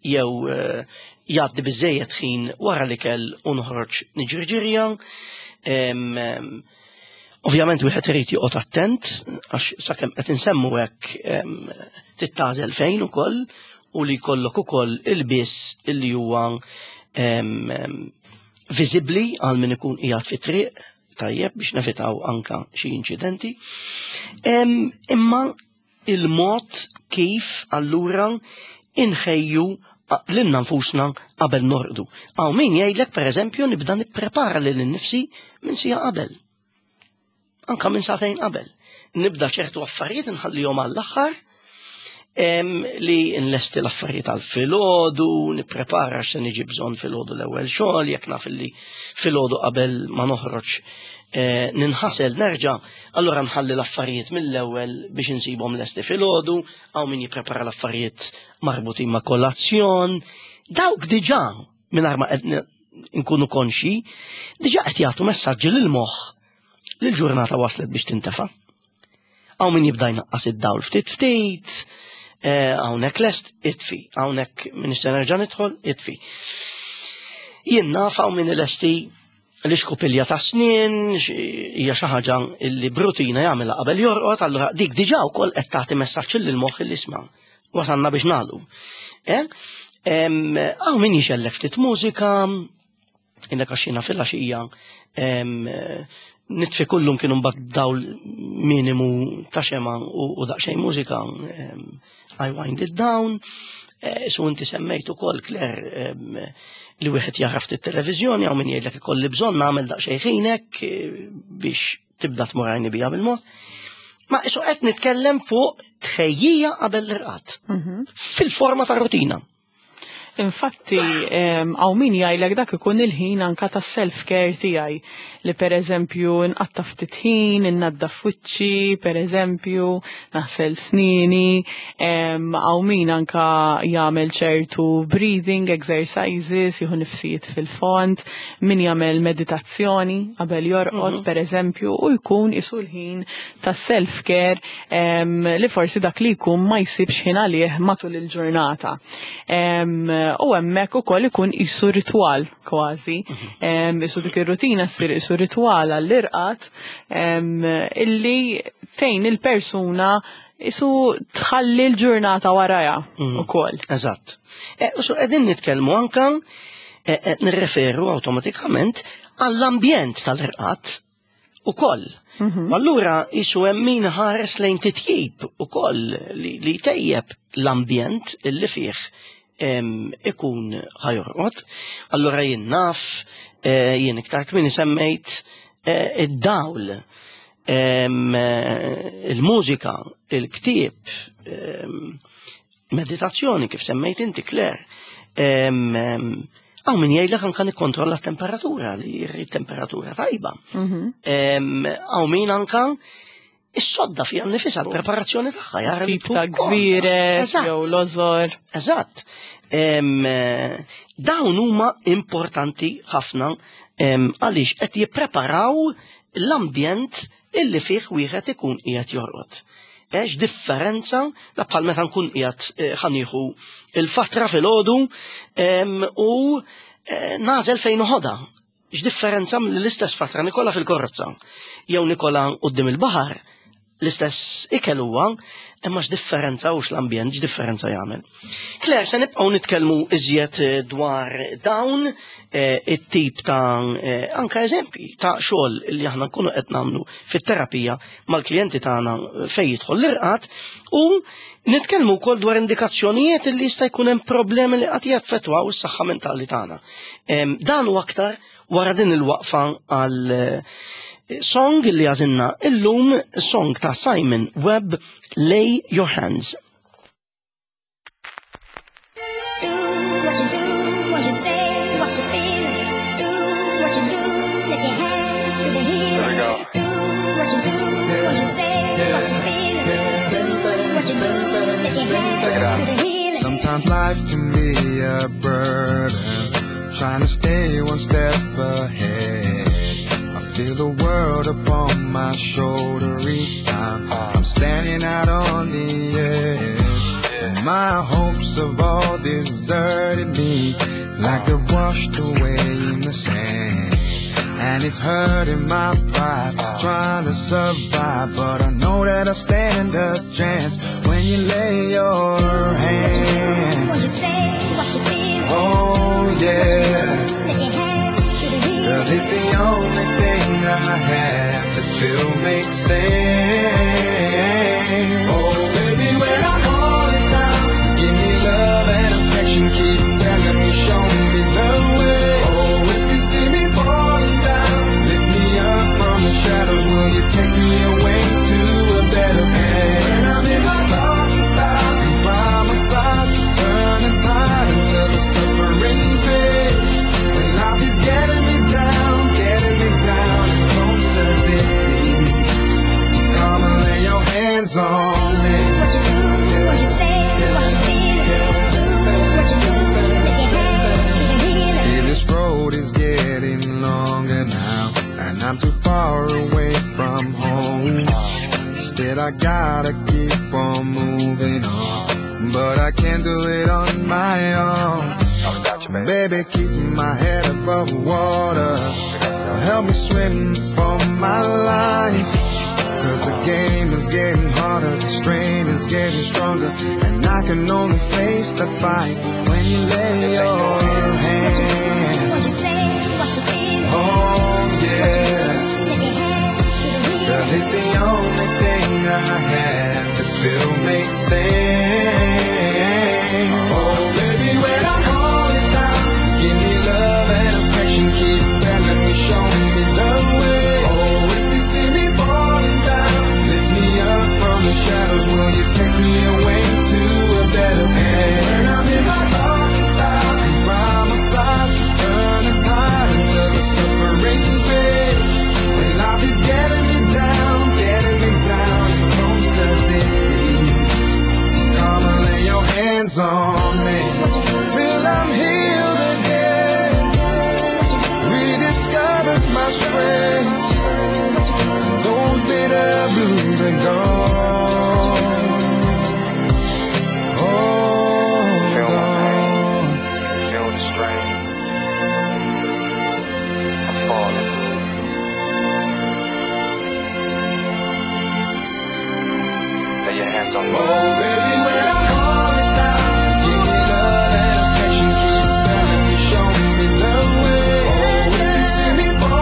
jew eh, jgħaddi biżejjed ħin wara l-ikel u noħroġ niġri ġirja. Ovvjament wieħed irid joqgħod attent għax sakemm qed insemmu hekk tittażel fejn ukoll u li jkollok ukoll il-biss illi huwa viżibbli għal min ikun qiegħed fit-triq tajjeb biex nevitaw anka xi inċidenti. Imma il-mod kif allura inħejju lilna nfusna qabel norqdu. Hawn min jgħidlek pereżempju nibda nipprepara lil nifsi minn sija qabel. Anka minn sagħtejn qabel. Nibda ċertu affarijiet nħallihom għall-aħħar li nlesti l-affarijiet għal filgħodu, nipprepara x'se niġi bżonn filgħodu l-ewwel xogħol, jekk naf li filgħodu qabel ma noħroġ eh, ninħasel nerġa', allura nħalli l-affarijiet mill-ewwel biex insibhom lesti filgħodu, hawn min jipprepara l-affarijiet marbutin ma' kolazzjon. Dawk diġà mingħajr ma qed nkunu konxi, diġà qed jagħtu messaġġi lil moħħ li l-ġurnata waslet biex tintefa'. Hawn min jibda jnaqqas id-dawl ftit ftit, eh, hawnhekk lest itfi, hawnhekk min se nerġa' nidħol itfi. Jien naf hawn min lesti l-iskupilja ta' snien hija xi ħaġa li brutina jagħmilha qabel jorqod, allura dik diġà wkoll qed tagħti messaġġ lil moħħ li isma' wasalna biex nagħlu. Eh? Hawn min jixellek ftit mużika, Inna kaxxina fil-għaxija nitfi kullum kienu mbagħad dawl minimu ta' xema u daqsxejn mużika I wind it down. Eh, su inti semmejt ukoll Claire li wieħed jara ftit televiżjoni hawn min jgħidlek ikolli bżonn nagħmel daqsxejn ħinek eh, biex tibda tmur għajni bija bil-mod. Ma isu qed nitkellem fuq tħejjija qabel l-irqad. Mhm. Fil-forma ta' rutina. Infatti, hawn min jgħidlek dak ikun il-ħin anka ta' self-care tiegħi li pereżempju nqatta' ftit ħin, innaddaf wiċċi, pereżempju, naħsel snini, hawn min anka jagħmel ċertu breathing exercises, jieħu nifsijiet fil-fond, min jagħmel meditazzjoni qabel jorqod mhm. pereżempju u jkun isu l-ħin ta' self-care li forsi dak li jkun ma jsibx ħin għalih matul il-ġurnata. U hemmhekk ukoll ikun isu ritwal kważi. Mhm. Isu dik ir-rutina ssir isu ritwal għall-irqad illi tgħin il-persuna isu tħalli l-ġurnata waraja mhm. ukoll. Eżatt. E, u su qegħdin nitkellmu anka e, e, nirreferu awtomatikament għall-ambjent tal-irqad ukoll. Allura isu hemm min ħares lejn titjib ukoll li tejjeb l-ambjent illi fih ikun ħajorqod. Allura jien naf, jien iktar kmieni semmejt id-dawl, il-mużika, il-ktieb, meditazzjoni kif semmejt inti Claire. Hawn min jgħidlek anka nikkontrolla t-temperatura, li jrid temperatura tajba. Hawn min anka is-sodda fija nnifisha l-preparazzjoni tagħha jara li ta' gvire jew lożor. Eżatt. Dawn huma importanti ħafna għaliex qed jippreparaw l-ambjent illi fih wieħed ikun qiegħed jorqod. Ex differenza da bħal meta nkun qiegħed ħanieħu il-fatra filgħodu u nażel fejn uħodha. X'differenza mill-istess fatra nikola fil-korozza jew nikola quddiem il-baħar, l-istess ikel huwa, imma x'differenza u x'l-ambjent x'differenza jagħmel. Claire, se nibqgħu nitkellmu iżjed dwar dawn it-tip ta' anka eżempji ta' xogħol li aħna nkunu qed nagħmlu fit-terapija mal-klijenti tagħna fejn jidħol l-irqad u nitkellmu wkoll dwar indikazzjonijiet li jista' jkun hemm problemi li qed jaffettwaw is-saħħa mentali tagħna. Dan u aktar wara din il-waqfa għal song li għażilna illum, song ta' Simon Webb, Lay Your Hands. Do what you do, what you say, what you feel. Do what you do, let your hands do the healing. Here we go. Do what you do, what you say, what you feel. Do what you do, let your hands Check it out. do the healing. Sometimes life can be a burden, trying to stay one step ahead. I feel the world upon my shoulder each time I'm standing out on the edge. My hopes have all deserted me, like they're washed away in the sand. And it's hurting my pride, trying to survive. But I know that I stand a chance when you lay your hands. What you say, what you feel. Oh yeah. Let your hands do the healing. 'Cause it's the only thing I have that still makes sense. Oh baby, when I'm falling down, give me love and affection. Keep telling me, show me the way. Oh, if you see me falling down, lift me up from the shadows. Will you take me away to a better place? When I'm in my darkest hour, be by my side to turn the tide until the suffering fades. When life is getting me down, and close to defeat, come and lay your hands on me. What you do, what you say, what you feel. Do what you do, let your hands do the healing. Yeah, this road is getting longer now, and I'm too far away from home. Still I gotta keep on moving on, but I can't do it on my own. Baby, keep my head above water. Help me swim for my life. 'Cause the game is getting harder, the strain is getting stronger, and I can only face the fight when you lay your hands. What you say, what you feel. Oh yeah. Let your hands do the healing. 'Cause it's the only thing I have that still makes sense. Oh baby, when I'm falling down, give me love and affection. Keep telling me, show me the way. Oh, if you see me falling down, lift me up from the shadows. Will you take me away to a better place? When I'm in my darkest hour, be by my side to turn the tide until the suffering fades. When life is getting me down, and close to defeat, come and lay your hands on me till I'm healed again. Rediscovered my strength. Those bitter blues are gone. Oh, Feel my pain. gone. Feel the strain. I'm falling. Lay your hands on me. Oh, baby, when I'm falling down, give me love and affection. Keep telling me, show me the way. Oh, if you see me falling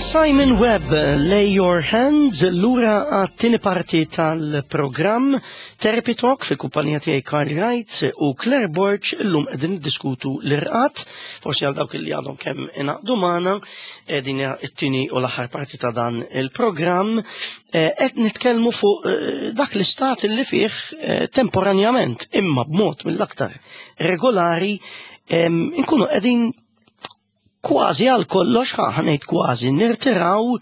Simon Webb, Lay Your Hands, lura għat-tieni parti tal-programm Therapy Talk fil-kumpanija tiegħi Karl Wright u Claire Borg illum qegħdin niddiskutu l-irqat, forsi għal dawk li għadhom kemm ingħaqdu magħna, din hija t-tieni u l-aħħar parti ta' dan il-programm, qed nitkellmu fuq dak l-istat li fih temporanjament imma b'mod mill-aktar regolari nkunu qegħdin kważi għal kollox, ħa ngħid kważi, nirtiraw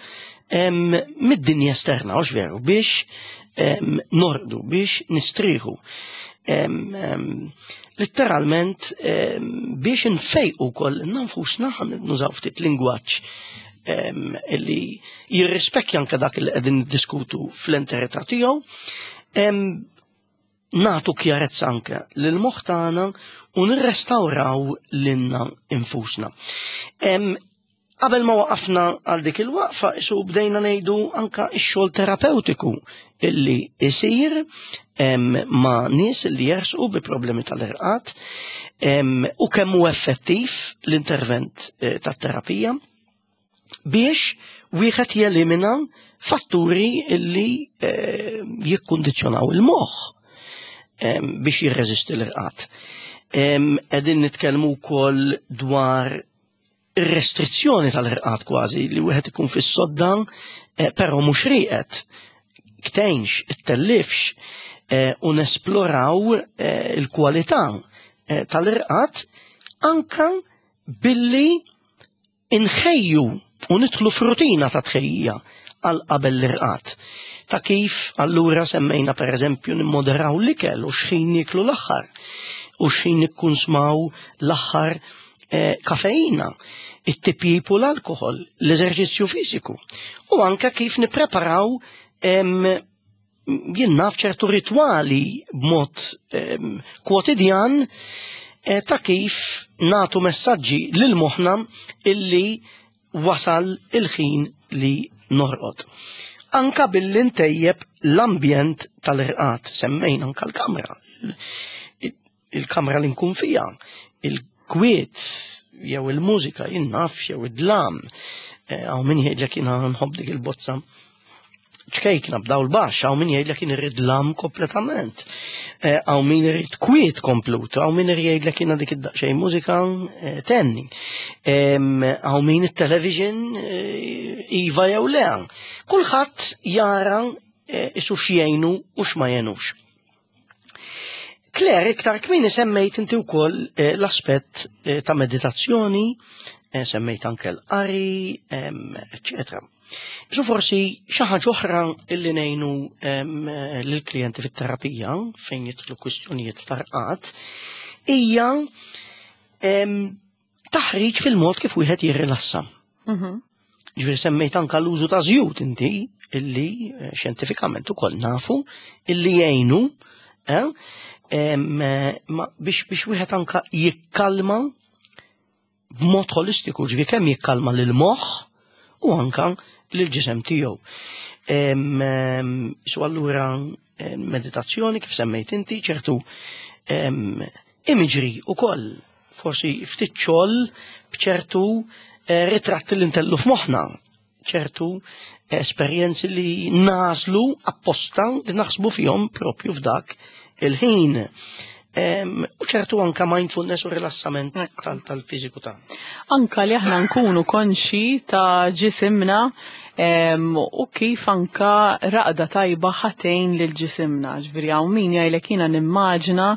mid-dinja esterna, hux veru, biex norqdu, biex nistrieħu. Letteralment biex nfejqu wkoll nfusna, nużaw ftit lingwaġġ illi jirrispekkja anke dak li qegħdin niddiskutu fl-enterità tiegħu, nagħtu kjarezza anke lil moħħ tagħna u nirrestawraw lilna infusna. Qabel ma waqafna għal dik il-waqfa, isu bdejna ngħidu anka x-xogħol terapeutiku illi isir ma' nies li jersqu bi problemi tal-irqad u kemm hu effettiv l-intervent tat-terapija biex wieħed jelimina fatturi illi jikkundizzjonaw il-moħħ biex jirreżisti l-irqad. Qegħdin nitkellmu wkoll dwar ir-restrizzjoni tal-irqad kważi li wieħed ikun fis-sodda però mhux rieqed, ktejnx, ittellifx, u nesploraw il-kwalità tal-irqad anka billi inħejju u nidħlu f'rutina ta' tħejjija għal qabel l-irqad. Ta' kif allura semmejna per eżempju nimmoderaw l-ikel u x'ħin nieklu l-aħħar u x'ħin nikkunsmaw l-aħħar kafeina, it-tipjip u l-alkohol, l-eżerċizzju fiżiku u anke kif nippreparaw jien naf ċertu ritwali b'mod kwotidjan ta' kif natu messaġġi lil moħħna illi wasal il-ħin li norqod. Anka billi ntejjeb l-ambjent tal-irqad, semmejna anka l-kamra. Il-kamra li nkun fija, il-kwiet, jew il-mużika, jien naf, jew id-dlam. Hawn min jgħidlek jiena nħobb dik il-bozza ċkejkna b'daw l-baxx, hawn min jgħidlek jien irrid dlam kompletament. Hawn min irid kwiet komplut, hawn min jgħidlek jiena dik id-daqsxejn mużika tenni. Hawn min it-television iva jew le. Kulħadd jara isu x'jgħinu u x'ma jgħinux. Claire, iktar kmieni semmejt inti wkoll l-aspett ta' meditazzjoni, semmejt anke l-qari, eċċetera. Isu forsi xi ħaġa oħra illi ngħinu lill-klijenti fit-terapija fejn jidħlu kwistjonijiet ta' rqad hija taħriġ fil-mod kif wieħed jirrilassa. Ġifieri semmejt anka l-użu ta' żjut inti illi xjentifikament ukoll nafu illi jgħinu biex wieħed anka jikkalma b'mod holistiku, ġifieri kemm jikkalma lil moħħ u anka lil ġisem tiegħu. Su allura meditazzjoni kif semmejt inti ċertu imagery ukoll forsi ftit xogħol b'ċertu ritratti li ntellu f'moħħna, ċertu esperjenzi li nażlu apposta li naħsbu fihom propju f'dak il-ħin. U ċertu anka mindfulness u rilassament tal-fiżiku ta' Anka li aħna nkunu konxi ta' ġisimna u kif anka raqda tajba ħatejn lil ġisimna. Ġifieri hawn min jgħidlek jiena nimmaġina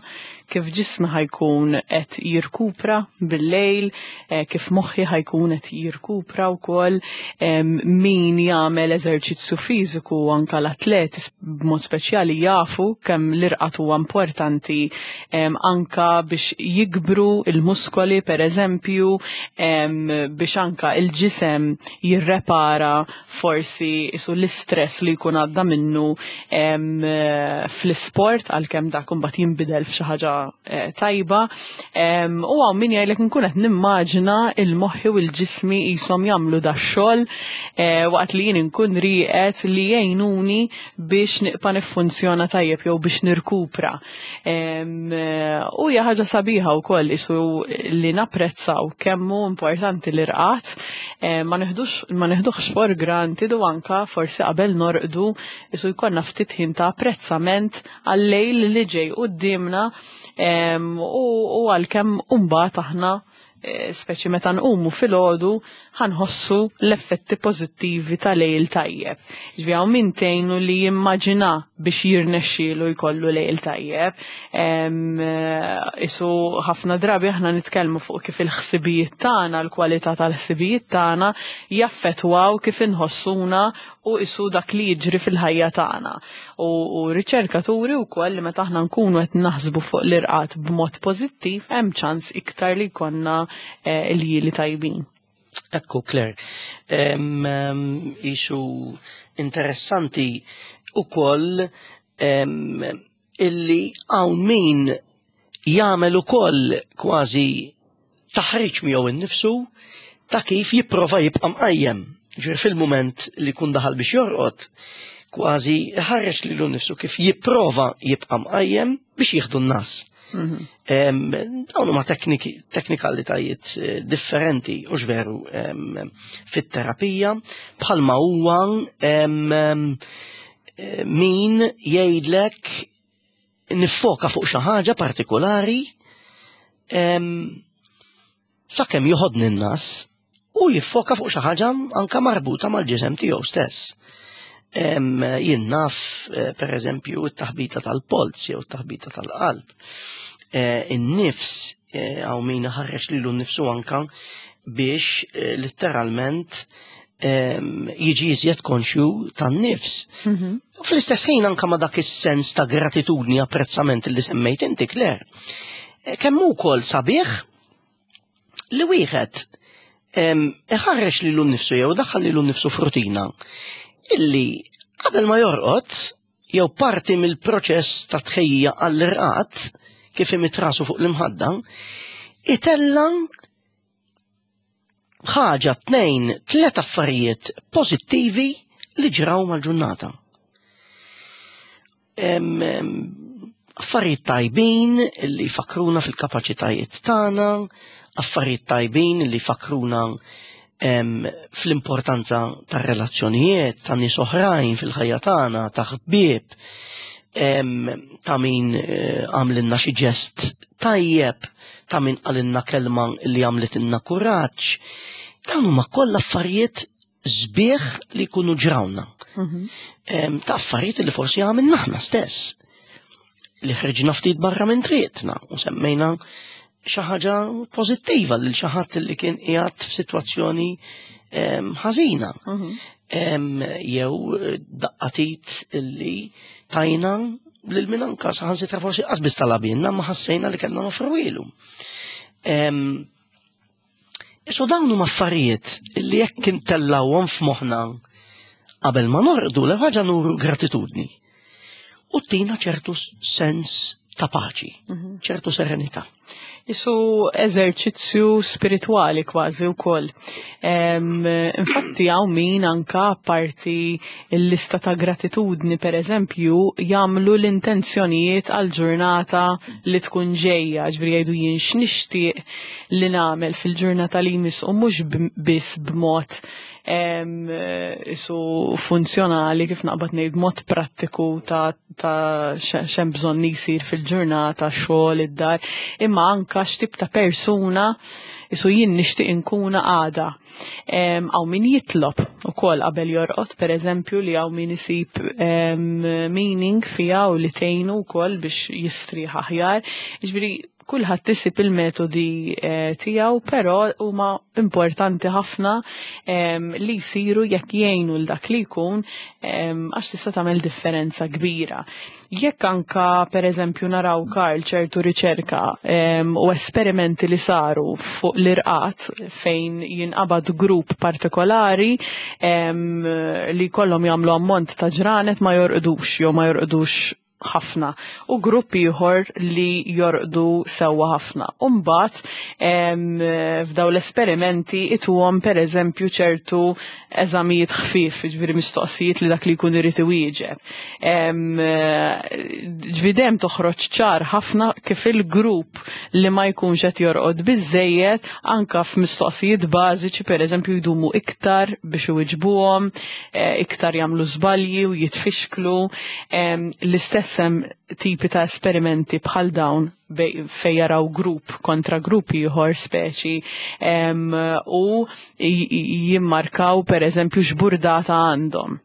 kif ġismi ħajkun qed jirkupra bil-lejl, kif moħħi ħajkun qed jirkupra wkoll, min jagħmel eżerċizzju fiżiku anka l-atleti b'mod speċjali jafu kemm l-irqad huwa importanti anka biex jikbru il-muskoli per eżempju, biex anka il-ġisem jirrepara forsi isu l-istress li jkun għadda minnu fl-isport, għalkemm dak imbagħad jinbidel f'xi ħaġa ħaġa tajba. U hawn min jgħidlek nkun qed nimmaġina il-moħħi u l-ġismi qishom jagħmlu dax-xogħol waqt li jien inkun rieqed li jgħinuni biex nibqa' niffunzjona tajjeb jew biex nirkupra. U hija ħaġa sabiħa wkoll isu li napprezzaw kemm hu importanti l-irqad, ma neħdux ma neħduhx for granted u anka forsi qabel norqdu isu jkollna ftit ħin ta' apprezzament għal-lejl li ġej quddiemna u għalkemm mbagħad aħna speċi meta nqumu filgħodu ħa nħossu l-effetti pożittivi ta' lejl tajjeb. Ġifieri hawn min tgħinu li jimmaġina biex jirnexxielu jkollu lejl tajjeb. Isu ħafna drabi aħna nitkellmu fuq kif il-ħsibijiet tagħna, l-kwalità tal-ħsibijiet tagħna jaffettwaw kif inħossuna u isu dak li jiġri fil-ħajja tagħna. U riċerkaturi wkoll li meta aħna nkunu qed naħsbu fuq l-irqad b'mod pożittiv hemm ċans iktar li jkollna iljieli tajbin. Ekku, Claire, isu interessanti ukoll illi hawn min jagħmel ukoll kważi taħriġ miegħu innifsu ta' kif jipprova jibqa' mqajjem. Ġifieri fil-mument li jkun daħal biex jorqod, kważi ħareġ lilu nnifsu kif jipprova jibqa' mqajjem biex jieħdu n-nas. Dawn huma teknikalitajiet differenti u veru fit-terapija bħalma huwa min jgħidlek niffoka fuq xi ħaġa partikolari sakemm joħodni n-nas u jiffoka fuq xi ħaġa anka marbuta mal-ġisem tiegħu stess. Jien naf, per eżempju, it-taħbita tal-polz jew it-taħbita tal-qalb. In-nifs, hawn min ħareġ lilu nnifsu anka biex letteralment jiġi iżjed konxju tan-nifs. U fl-istess ħin anka ma dak is-sens ta' gratitudni, apprezzament li semmejt inti, Claire. Kemm ukoll sabiħ li wieħed iħarreġ lilu nnifsu jew daħħal lilu nnifsu f'rutina illi qabel ma jorqod jew parti mill-proċess ta' tħejjija għall-irqad kif imidd rasu fuq l-imħadda, itella ħaġa, tnejn, tliet affarijiet pożittivi li ġraw mal-ġurnata. Affarijiet tajbin li jfakkruna fil-kapaċitajiet tagħna, affarijiet tajbin li jfakkruna fl-importanza tar-relazzjonijiet, ta' nies oħrajn fil-ħajja tagħna, ta' ħbieb, ta' min għamlilna xi ġest tajjeb, ta' min qalilna kelma li għamlitilna kuraġġ. Dawn huma kollha affarijiet sbieħ li jkunu ġrawna. Ta' affarijiet li forsi għamilna aħna stess. Li ħriġna ftit barra minn triqtna u semmejna xi ħaġa pożittiva lil xi ħadd li kien qiegħed f'sitwazzjoni ħażina. Jew daqqatit li tajna lil min anka saħansitra forsi qasbis talabinna ma ħassejna li kellna nofruwilu. Isu dawn huma affarijiet li jekk intellawhom f'moħħna qabel ma norqdu l ħaġa nuru gratitudni. U tina ċertu sens ta' paċi, ċertu serenità. Isu eżerċizzju spiritwali kważi wkoll. Infatti hawn min anka parti l-lista ta' gratitudni per eżempju jagħmlu l-intenzjonijiet għal ġurnata li tkun ġejja, ġifieri jgħidu jien x'nixtieq li nagħmel fil-ġurnata li jmiss u mhux biss b'mod isu funzjonali kif naqbad ngħid mod prattiku ta' x'hemm bżonn jsir fil-ġurnata, xogħol, id-dar, imma anka x'tip ta' persuna isu jien nixtieq inkuna għada. Hawn min jitlob ukoll qabel jorqod, per eżempju, li hawn min isib meaning fiha u li tgħinu wkoll biex jistrieħ aħjar. Jiġifieri kulħadd isib il-metodi tiegħu, però huma importanti ħafna li jsiru jekk jgħinu l dak li jkun għax tista' tagħmel differenza kbira. Jekk anka per eżempju naraw Karl ċertu riċerka u esperimenti li saru fuq l-irqad fejn jinqabad grupp partikolari li kollhom jagħmlu ammont ta' ġranet ma jorqdux jew ma jorqdux. ħafna u grupp ieħor li jorqdu sewwa ħafna. U mbagħad f'daw l-esperimenti ituhom pereżempju ċertu eżamijiet ħfief, ġifieri mistoqsijiet li dak li jkun irid iwieġeb. Ġifieri dejjem toħroġ ċar ħafna kif il-grupp li ma jkunx qed jorqod biżejjed anka f'mistoqsijiet bażiċi pereżempju jdumu iktar biex iwiġbuhom, iktar jagħmlu żbalji u jitfixklu. L-istess hemm tipi ta' esperimenti bħal dawn fej jaraw grupp kontra grupp ieħor speċi u jimmarkaw per eżempju x'burdata għandhom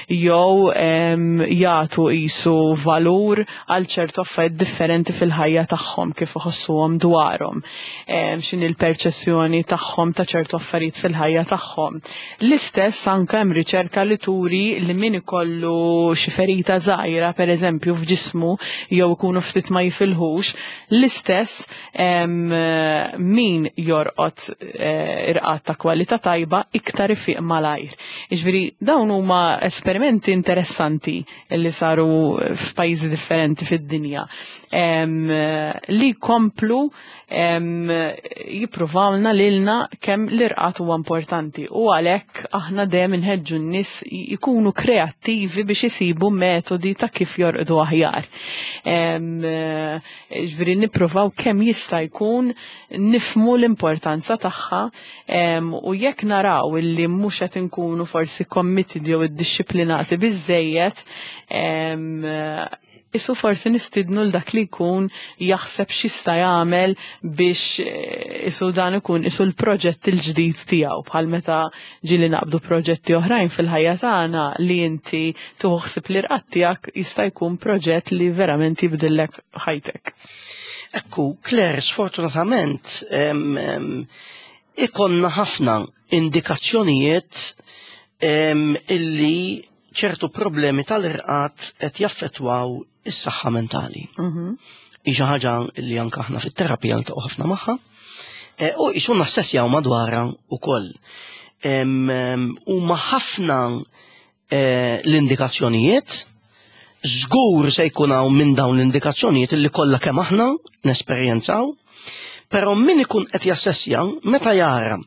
jew jagħtu qisu valur għal ċertu affarijiet differenti fil-ħajja tagħhom kif iħossuhom dwarhom, x'inhi l-perċessjoni tagħhom ta' ċertu affarijiet fil-ħajja tagħhom. L-istess anke hemm riċerka li turi li min ikollu xi ferita żgħira pereżempju f'ġismu jew ikunu ftit ma jifilħux, l-istess min jorqod irqad ta' kwalità tajba iktar ifiq malajr. Jiġifieri dawn huma esperimenti interessanti li saru f'pajjiżi differenti fid-dinja li jkomplu jippruvawlna lilna kemm l-irqad huwa importanti u għalhekk aħna dejjem inħeġġu n-nies jkunu kreattivi biex isibu metodi ta' kif jorqdu aħjar. Ġifieri nippruvaw kemm jista' jkun nifhmu l-importanza tagħha u jekk naraw illi mhux qed inkunu forsi committed jew iddixxiplinati biżżejjed, isu forsi nistidnu l dak li jkun jaħseb x'jista' jagħmel biex isu dan ikun isu l-proġett il-ġdid tiegħu, bħal meta ġieli naqbdu proġetti oħrajn fil-ħajja tagħna li inti tieħu ħsieb l-irqad tiegħek jista' jkun proġett li verament jibdillek ħajtek. Ekku, Claire, sfortunatament ikonna ħafna indikazzjonijiet illi ċertu problemi tal-irqad qed jaffettwaw is-saħħa mentali. Hi xi ħaġa li anke aħna fit-terapija niltaqgħu ħafna magħha. U qisu nassessjaw madwarha wkoll. Huma ħafna l-indikazzjonijiet, żgur se jkun hawn minn dawn l-indikazzjonijiet li kollha kemm aħna nesperjenzaw, però min ikun qed jassessja meta jara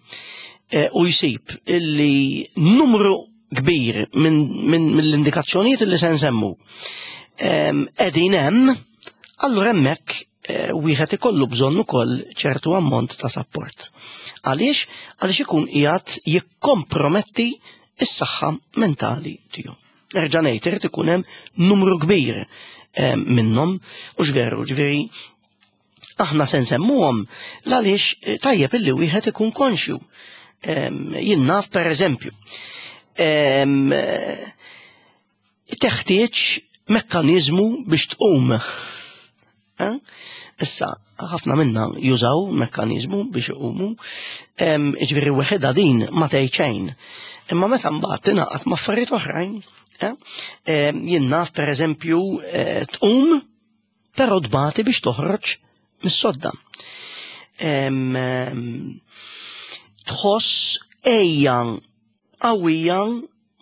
u jsib illi numru kbir mill-indikazzjonijiet li se nsemmu qegħdin hemm, allura hemmhekk wieħed ikollu bżonn ukoll ċertu ammont ta' support. Għaliex? Għaliex ikun qiegħed jikkomprometti s-saħħa mentali tiegħu. Nerġa' ngħid, irid ikun hemm numru kbir minnhom, u x'veru, ġifieri aħna se nsemmuhom għaliex tajjeb illi wieħed ikun konxju. Jien naf pereżempju, teħtieġ mekkaniżmu biex tqum. Issa, ħafna minna jużaw mekkaniżmu biex iqumu, ġifieri weħedha din ma tgħid xejn. Imma meta mbagħad tingħaqad ma' affarijiet oħrajn, jien naf pereżempju tqum però tbati biex toħroġ mis-sodda. Tħoss ejja qawwija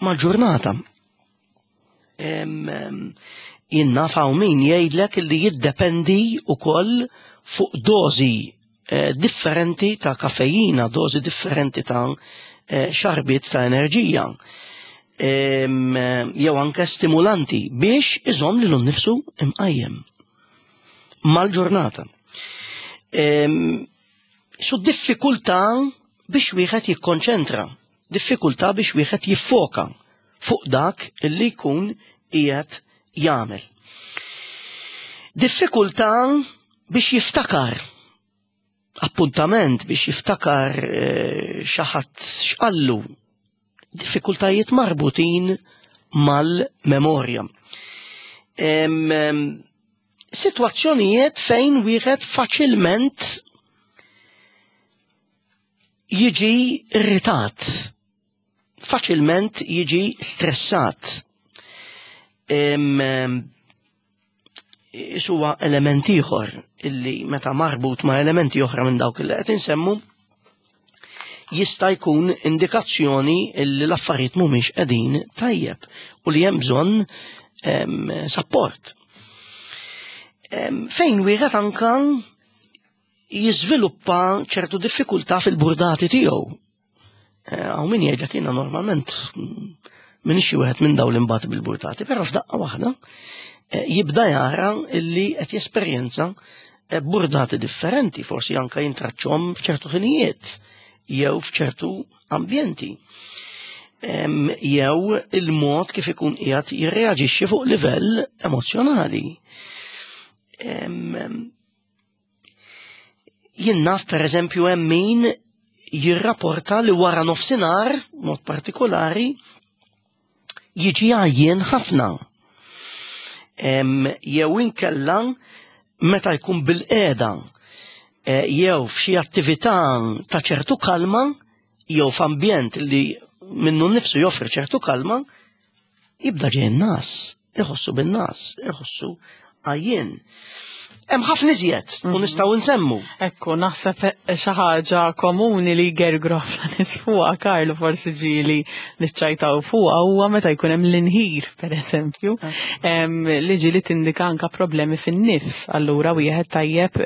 mal-ġurnata. Jien naf hawn min jgħidlek li jiddependi wkoll fuq dożi differenti ta' kafejina, dożi differenti ta' xarbiet ta' enerġija, jew anke stimulanti biex iżomm lilu nnifsu imqajjem mal-ġurnata. Su diffikultà biex wieħed jikkonċentra, diffikultà biex wieħed jiffoka fuq dak li jkun qiegħed jagħmel. Diffikultà biex jiftakar appuntament, biex jiftakar xi ħadd x'qallu, diffikultajiet marbutin mal-memorja. Sitwazzjonijiet fejn wieħed faċilment jiġi irritat, faċilment jiġi stressat. Isuwa element ieħor illi meta marbut ma' elementi oħra minn dawk li qed insemmu jista' jkun indikazzjoni illi l-affarijiet mhumiex qegħdin tajjeb u li hemm bżonn support. Fejn wieħed anka jiżviluppa ċertu diffikultà fil-burdati tiegħu. Hawn min jgħidlek jiena normalment minn xi wieħed minn dawn l-imbagħad bil-burdati, però f'daqqa waħda jibda jara illi qed jesperjenza burdati differenti, forsi anka jintraċċhom f'ċertu ħinijiet jew f'ċertu ambjenti. Jew il-mod kif ikun qiegħed jirreaġixxi fuq livell emozzjonali. Jien naf pereżempju hemm min jirrapporta li wara nofsinhar, mod partikolari, jiġi għajjien ħafna. Jew inkella meta jkun bil-qiegħda jew f'xi attività ta' ċertu kalma jew f'ambjent li minnu nnifsu joffri ċertu kalma, jibda ġej nas, iħossu bin-nas, iħossu għajjien. Hemm ħafna iżjed u nistgħu nsemmu. Ekku, naħseb xi ħaġa komuni li jgergru ħafna nies fuqha, Karlu, forsi ġieli niċċajtaw fuqha, huwa meta jkun hemm l-inħir, pereżempju, li ġieli tindika anka problemi fin-nifs. Allura wieħed tajjeb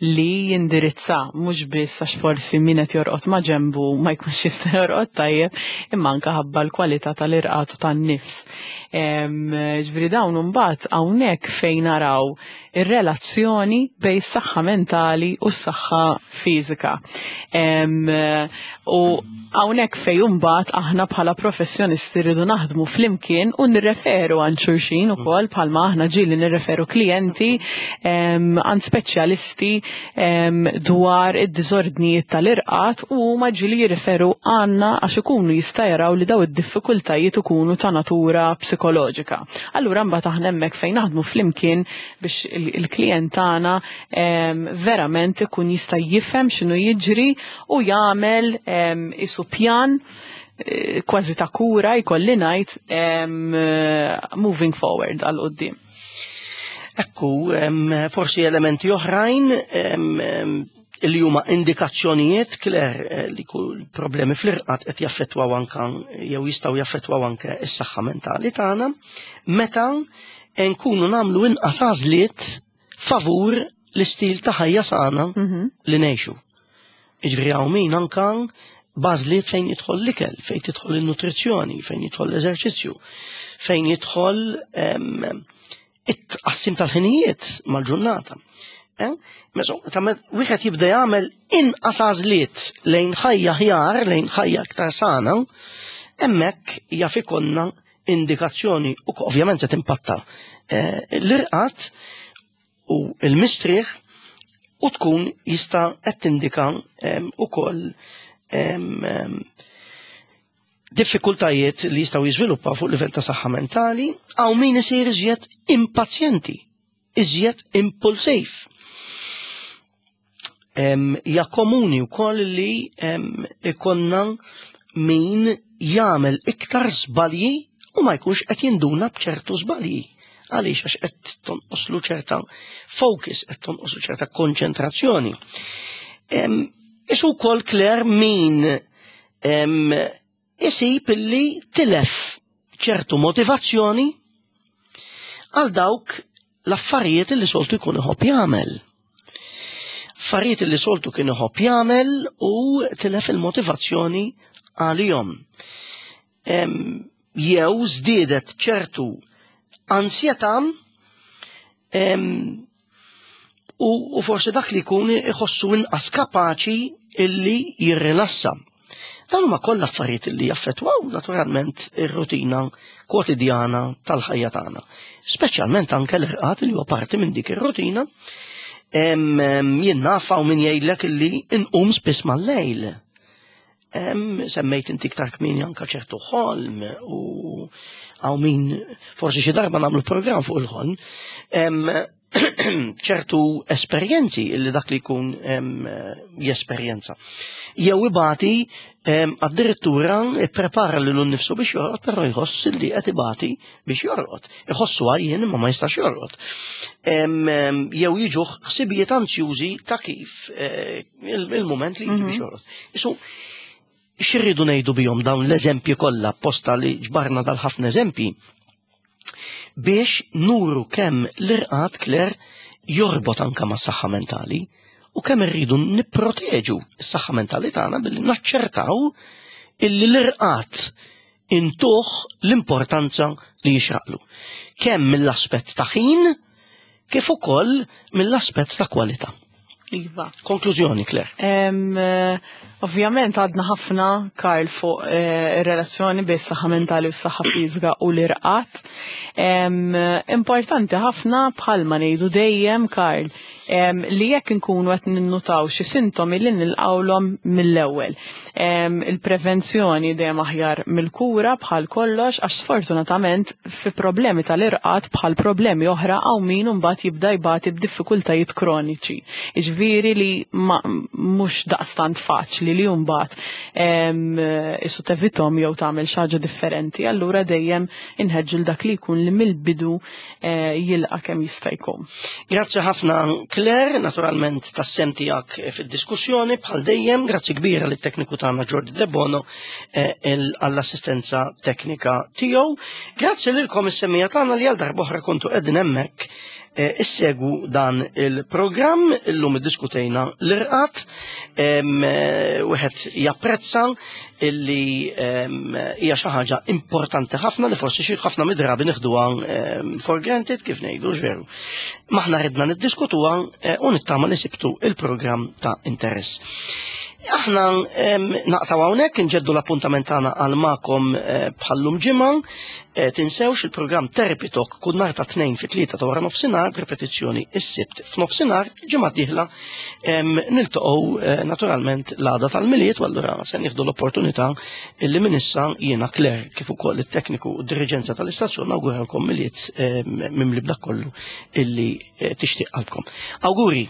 li jindirizza mhux biss għax forsi min qed jorqod ma' ġenbu ma jkunx jista' jorqod tajjeb, imma anka ħabba l-kwalità tal-irqad u tan-nifs. Ġifieri dawn imbagħad hawnhekk fejn naraw ir-relazzjoni bejn is-saħħa mentali u s-saħħa fiżika. U hawnhekk fejn imbagħad aħna bħala professjonisti rridu naħdmu flimkien u nirreferu għand xulxin ukoll, bħalma aħna ġieli nirreferu klijenti għand speċjalisti dwar id-diżordnijiet tal-irqad, u huma ġieli jirreferu għandna għax ikunu jista' jaraw li daw id-diffikultajiet ikunu ta' natura psikoloġika. Allura mbagħad aħna hemmhekk fejn naħdmu flimkien biex il-klient tagħna verament ikun jista' jifhem x'inhu jiġri u jagħmel isu pjan kważi ta' kura, jkolli ngħid, moving forward għal quddiem. Ekku, forsi elementi oħrajn li huma indikazzjonijiet, Claire, li kull problemi fl-irqad qed jaffettwaw anka jew jistgħu jaffettwaw anke s-saħħa mentali tagħna, meta nkunu nagħmlu inqas għażliet favur l-istil ta' ħajja sana li ngħixu. Jiġifieri hawn min anka b'għażliet fejn jidħol l-ikel, fejn tidħol il-nutrizzjoni, fejn jidħol l-eżerċizzju, fejn jidħol it-tqassim tal-ħinijiet mal-ġurnata. Wieħed jibda jagħmel inqas għażliet lejn ħajja ħjar, lejn ħajja aktar sana, hemmhekk jaf ikollna indikazzjoni u ovvjament se timpatta l-irqad u l-mistrieħ, u tkun jista' qed tindika ukoll diffikultajiet li jistgħu jiżviluppaw fuq livell ta' saħħa mentali. Hawn min isir iżjed impazjenti, iżjed impulsiv. Hija komuni wkoll li ikonna min jagħmel iktar żbalji u ma jkunx qed jinduna b'ċertu żbalji. Għaliex? Għax qed tonqoslu ċerta focus, qed tonqoslu ċerta konċentrazzjoni. Isu wkoll, Claire, min isib illi tilef ċertu motivazzjoni għal dawk l-affarijiet li soltu jkun iħobb jagħmel. Affarijiet li soltu kien iħobb jagħmel u tilef il-motivazzjoni għalihom. Jew żdiedet ċertu ansjetà, u forsi dak li jkun iħossu inqas kapaċi illi jirrilassa. Dawn huma kollha affarijiet li jaffettwaw naturalment ir-rutina kwotidjana tal-ħajja tagħna. Speċjalment anke l-irqad li huwa parti minn dik ir-rutina. Jien naf hawn min jgħidlek illi inqum spiss mal-lejl. Semmejt inti iktar kmieni anke ċertu ħolm, u hawn min forsi xi darba nagħmlu programm fuq il-ħolm. Ċertu esperjenzi li dak li jkun jesperjenza. Jew ibati addirittura ipprepara lilu nnifsu biex jorqod, però jħoss li qed ibati biex jorqod. Iħossu għajjien imma ma jistax jorqod. Jew jiġuh ħsibijiet anzjużi ta' kif il-moment li jiġi biex jorqod. Isu, x'irridu ngħidu bihom dawn l-eżempji kollha, posta li ġbarna dal-ħafna eżempji? Biex nuru kemm l-irqad Claire jorbot anka mas-saħħa mentali u kemm irridu nipproteġu s-saħħa mentali tagħna billi naċċertaw illi l-irqad intuh l-importanza li jixraqlu. Kemm mill-aspett ta' ħin kif ukoll mill-aspett ta' kwalità. Iva. Konklużjoni, Claire. Ovvjament għadna ħafna, Karl, fuq ir-relazzjoni bejn is-saħħa mentali u s-saħħa fiżika u l-irqad. Importanti ħafna bħalma ngħidu dejjem, Karl, li jekk inkunu qed ninnutaw xi sintomi li nilqawlhom mill-ewwel. Il-prevenzjoni dejjem aħjar mill-kura bħal kollox għax sfortunatament fi problemi tal-irqad bħal problemi oħra hawn min imbagħad jibda jbati b'diffikultajiet kroniċi. Jiġifieri li mhux daqstant faċli li mbagħad isu tevitom jew tagħmel xi ħaġa differenti, allura dejjem inħeġġu l dak li jkun li mill-bidu jilqa' kemm jista' jkun. Grazzi ħafna Claire, naturalment tas-sem tiegħek fid-diskussjoni bħal dejjem, grazzi kbira lit-tekniku tagħna Jordi Debono għall-assistenza teknika tiegħu. Grazzi lilkom is-semmija tagħna li għal darb'oħra kontu qegħdin hemmhekk issegwu dan il-programm. Illum iddiskutejna l-irqad, wieħed japprezza illi hija xi ħaġa importanti ħafna li forsi xi ħafna mid-drabi nieħduha for granted kif ngħidu veru. Maħna ridna niddiskutuha u nittama li sibtu il-programm ta' interess. Aħna naqtaw hawnhekk inġeddu l-appuntament tagħna għal magħkom bħallum ġimgħa. Tinsewx il-programm Therapy Talk kull nhar ta' 2 fi 3 ta' wara nofsinhar, repetizzjoni is-Sibt f'nofsinhar, ġimgħa dieħla niltaqgħu naturalment l-għada tal-Milied u allura se nieħdu l-opportunità illi minn issa jiena Claire kif ukoll it-tekniku u d-diriġenza tal-istazzjon nawguralkom Milied mimli b'dak kollu illi tixtieq qalbkom. Awguri!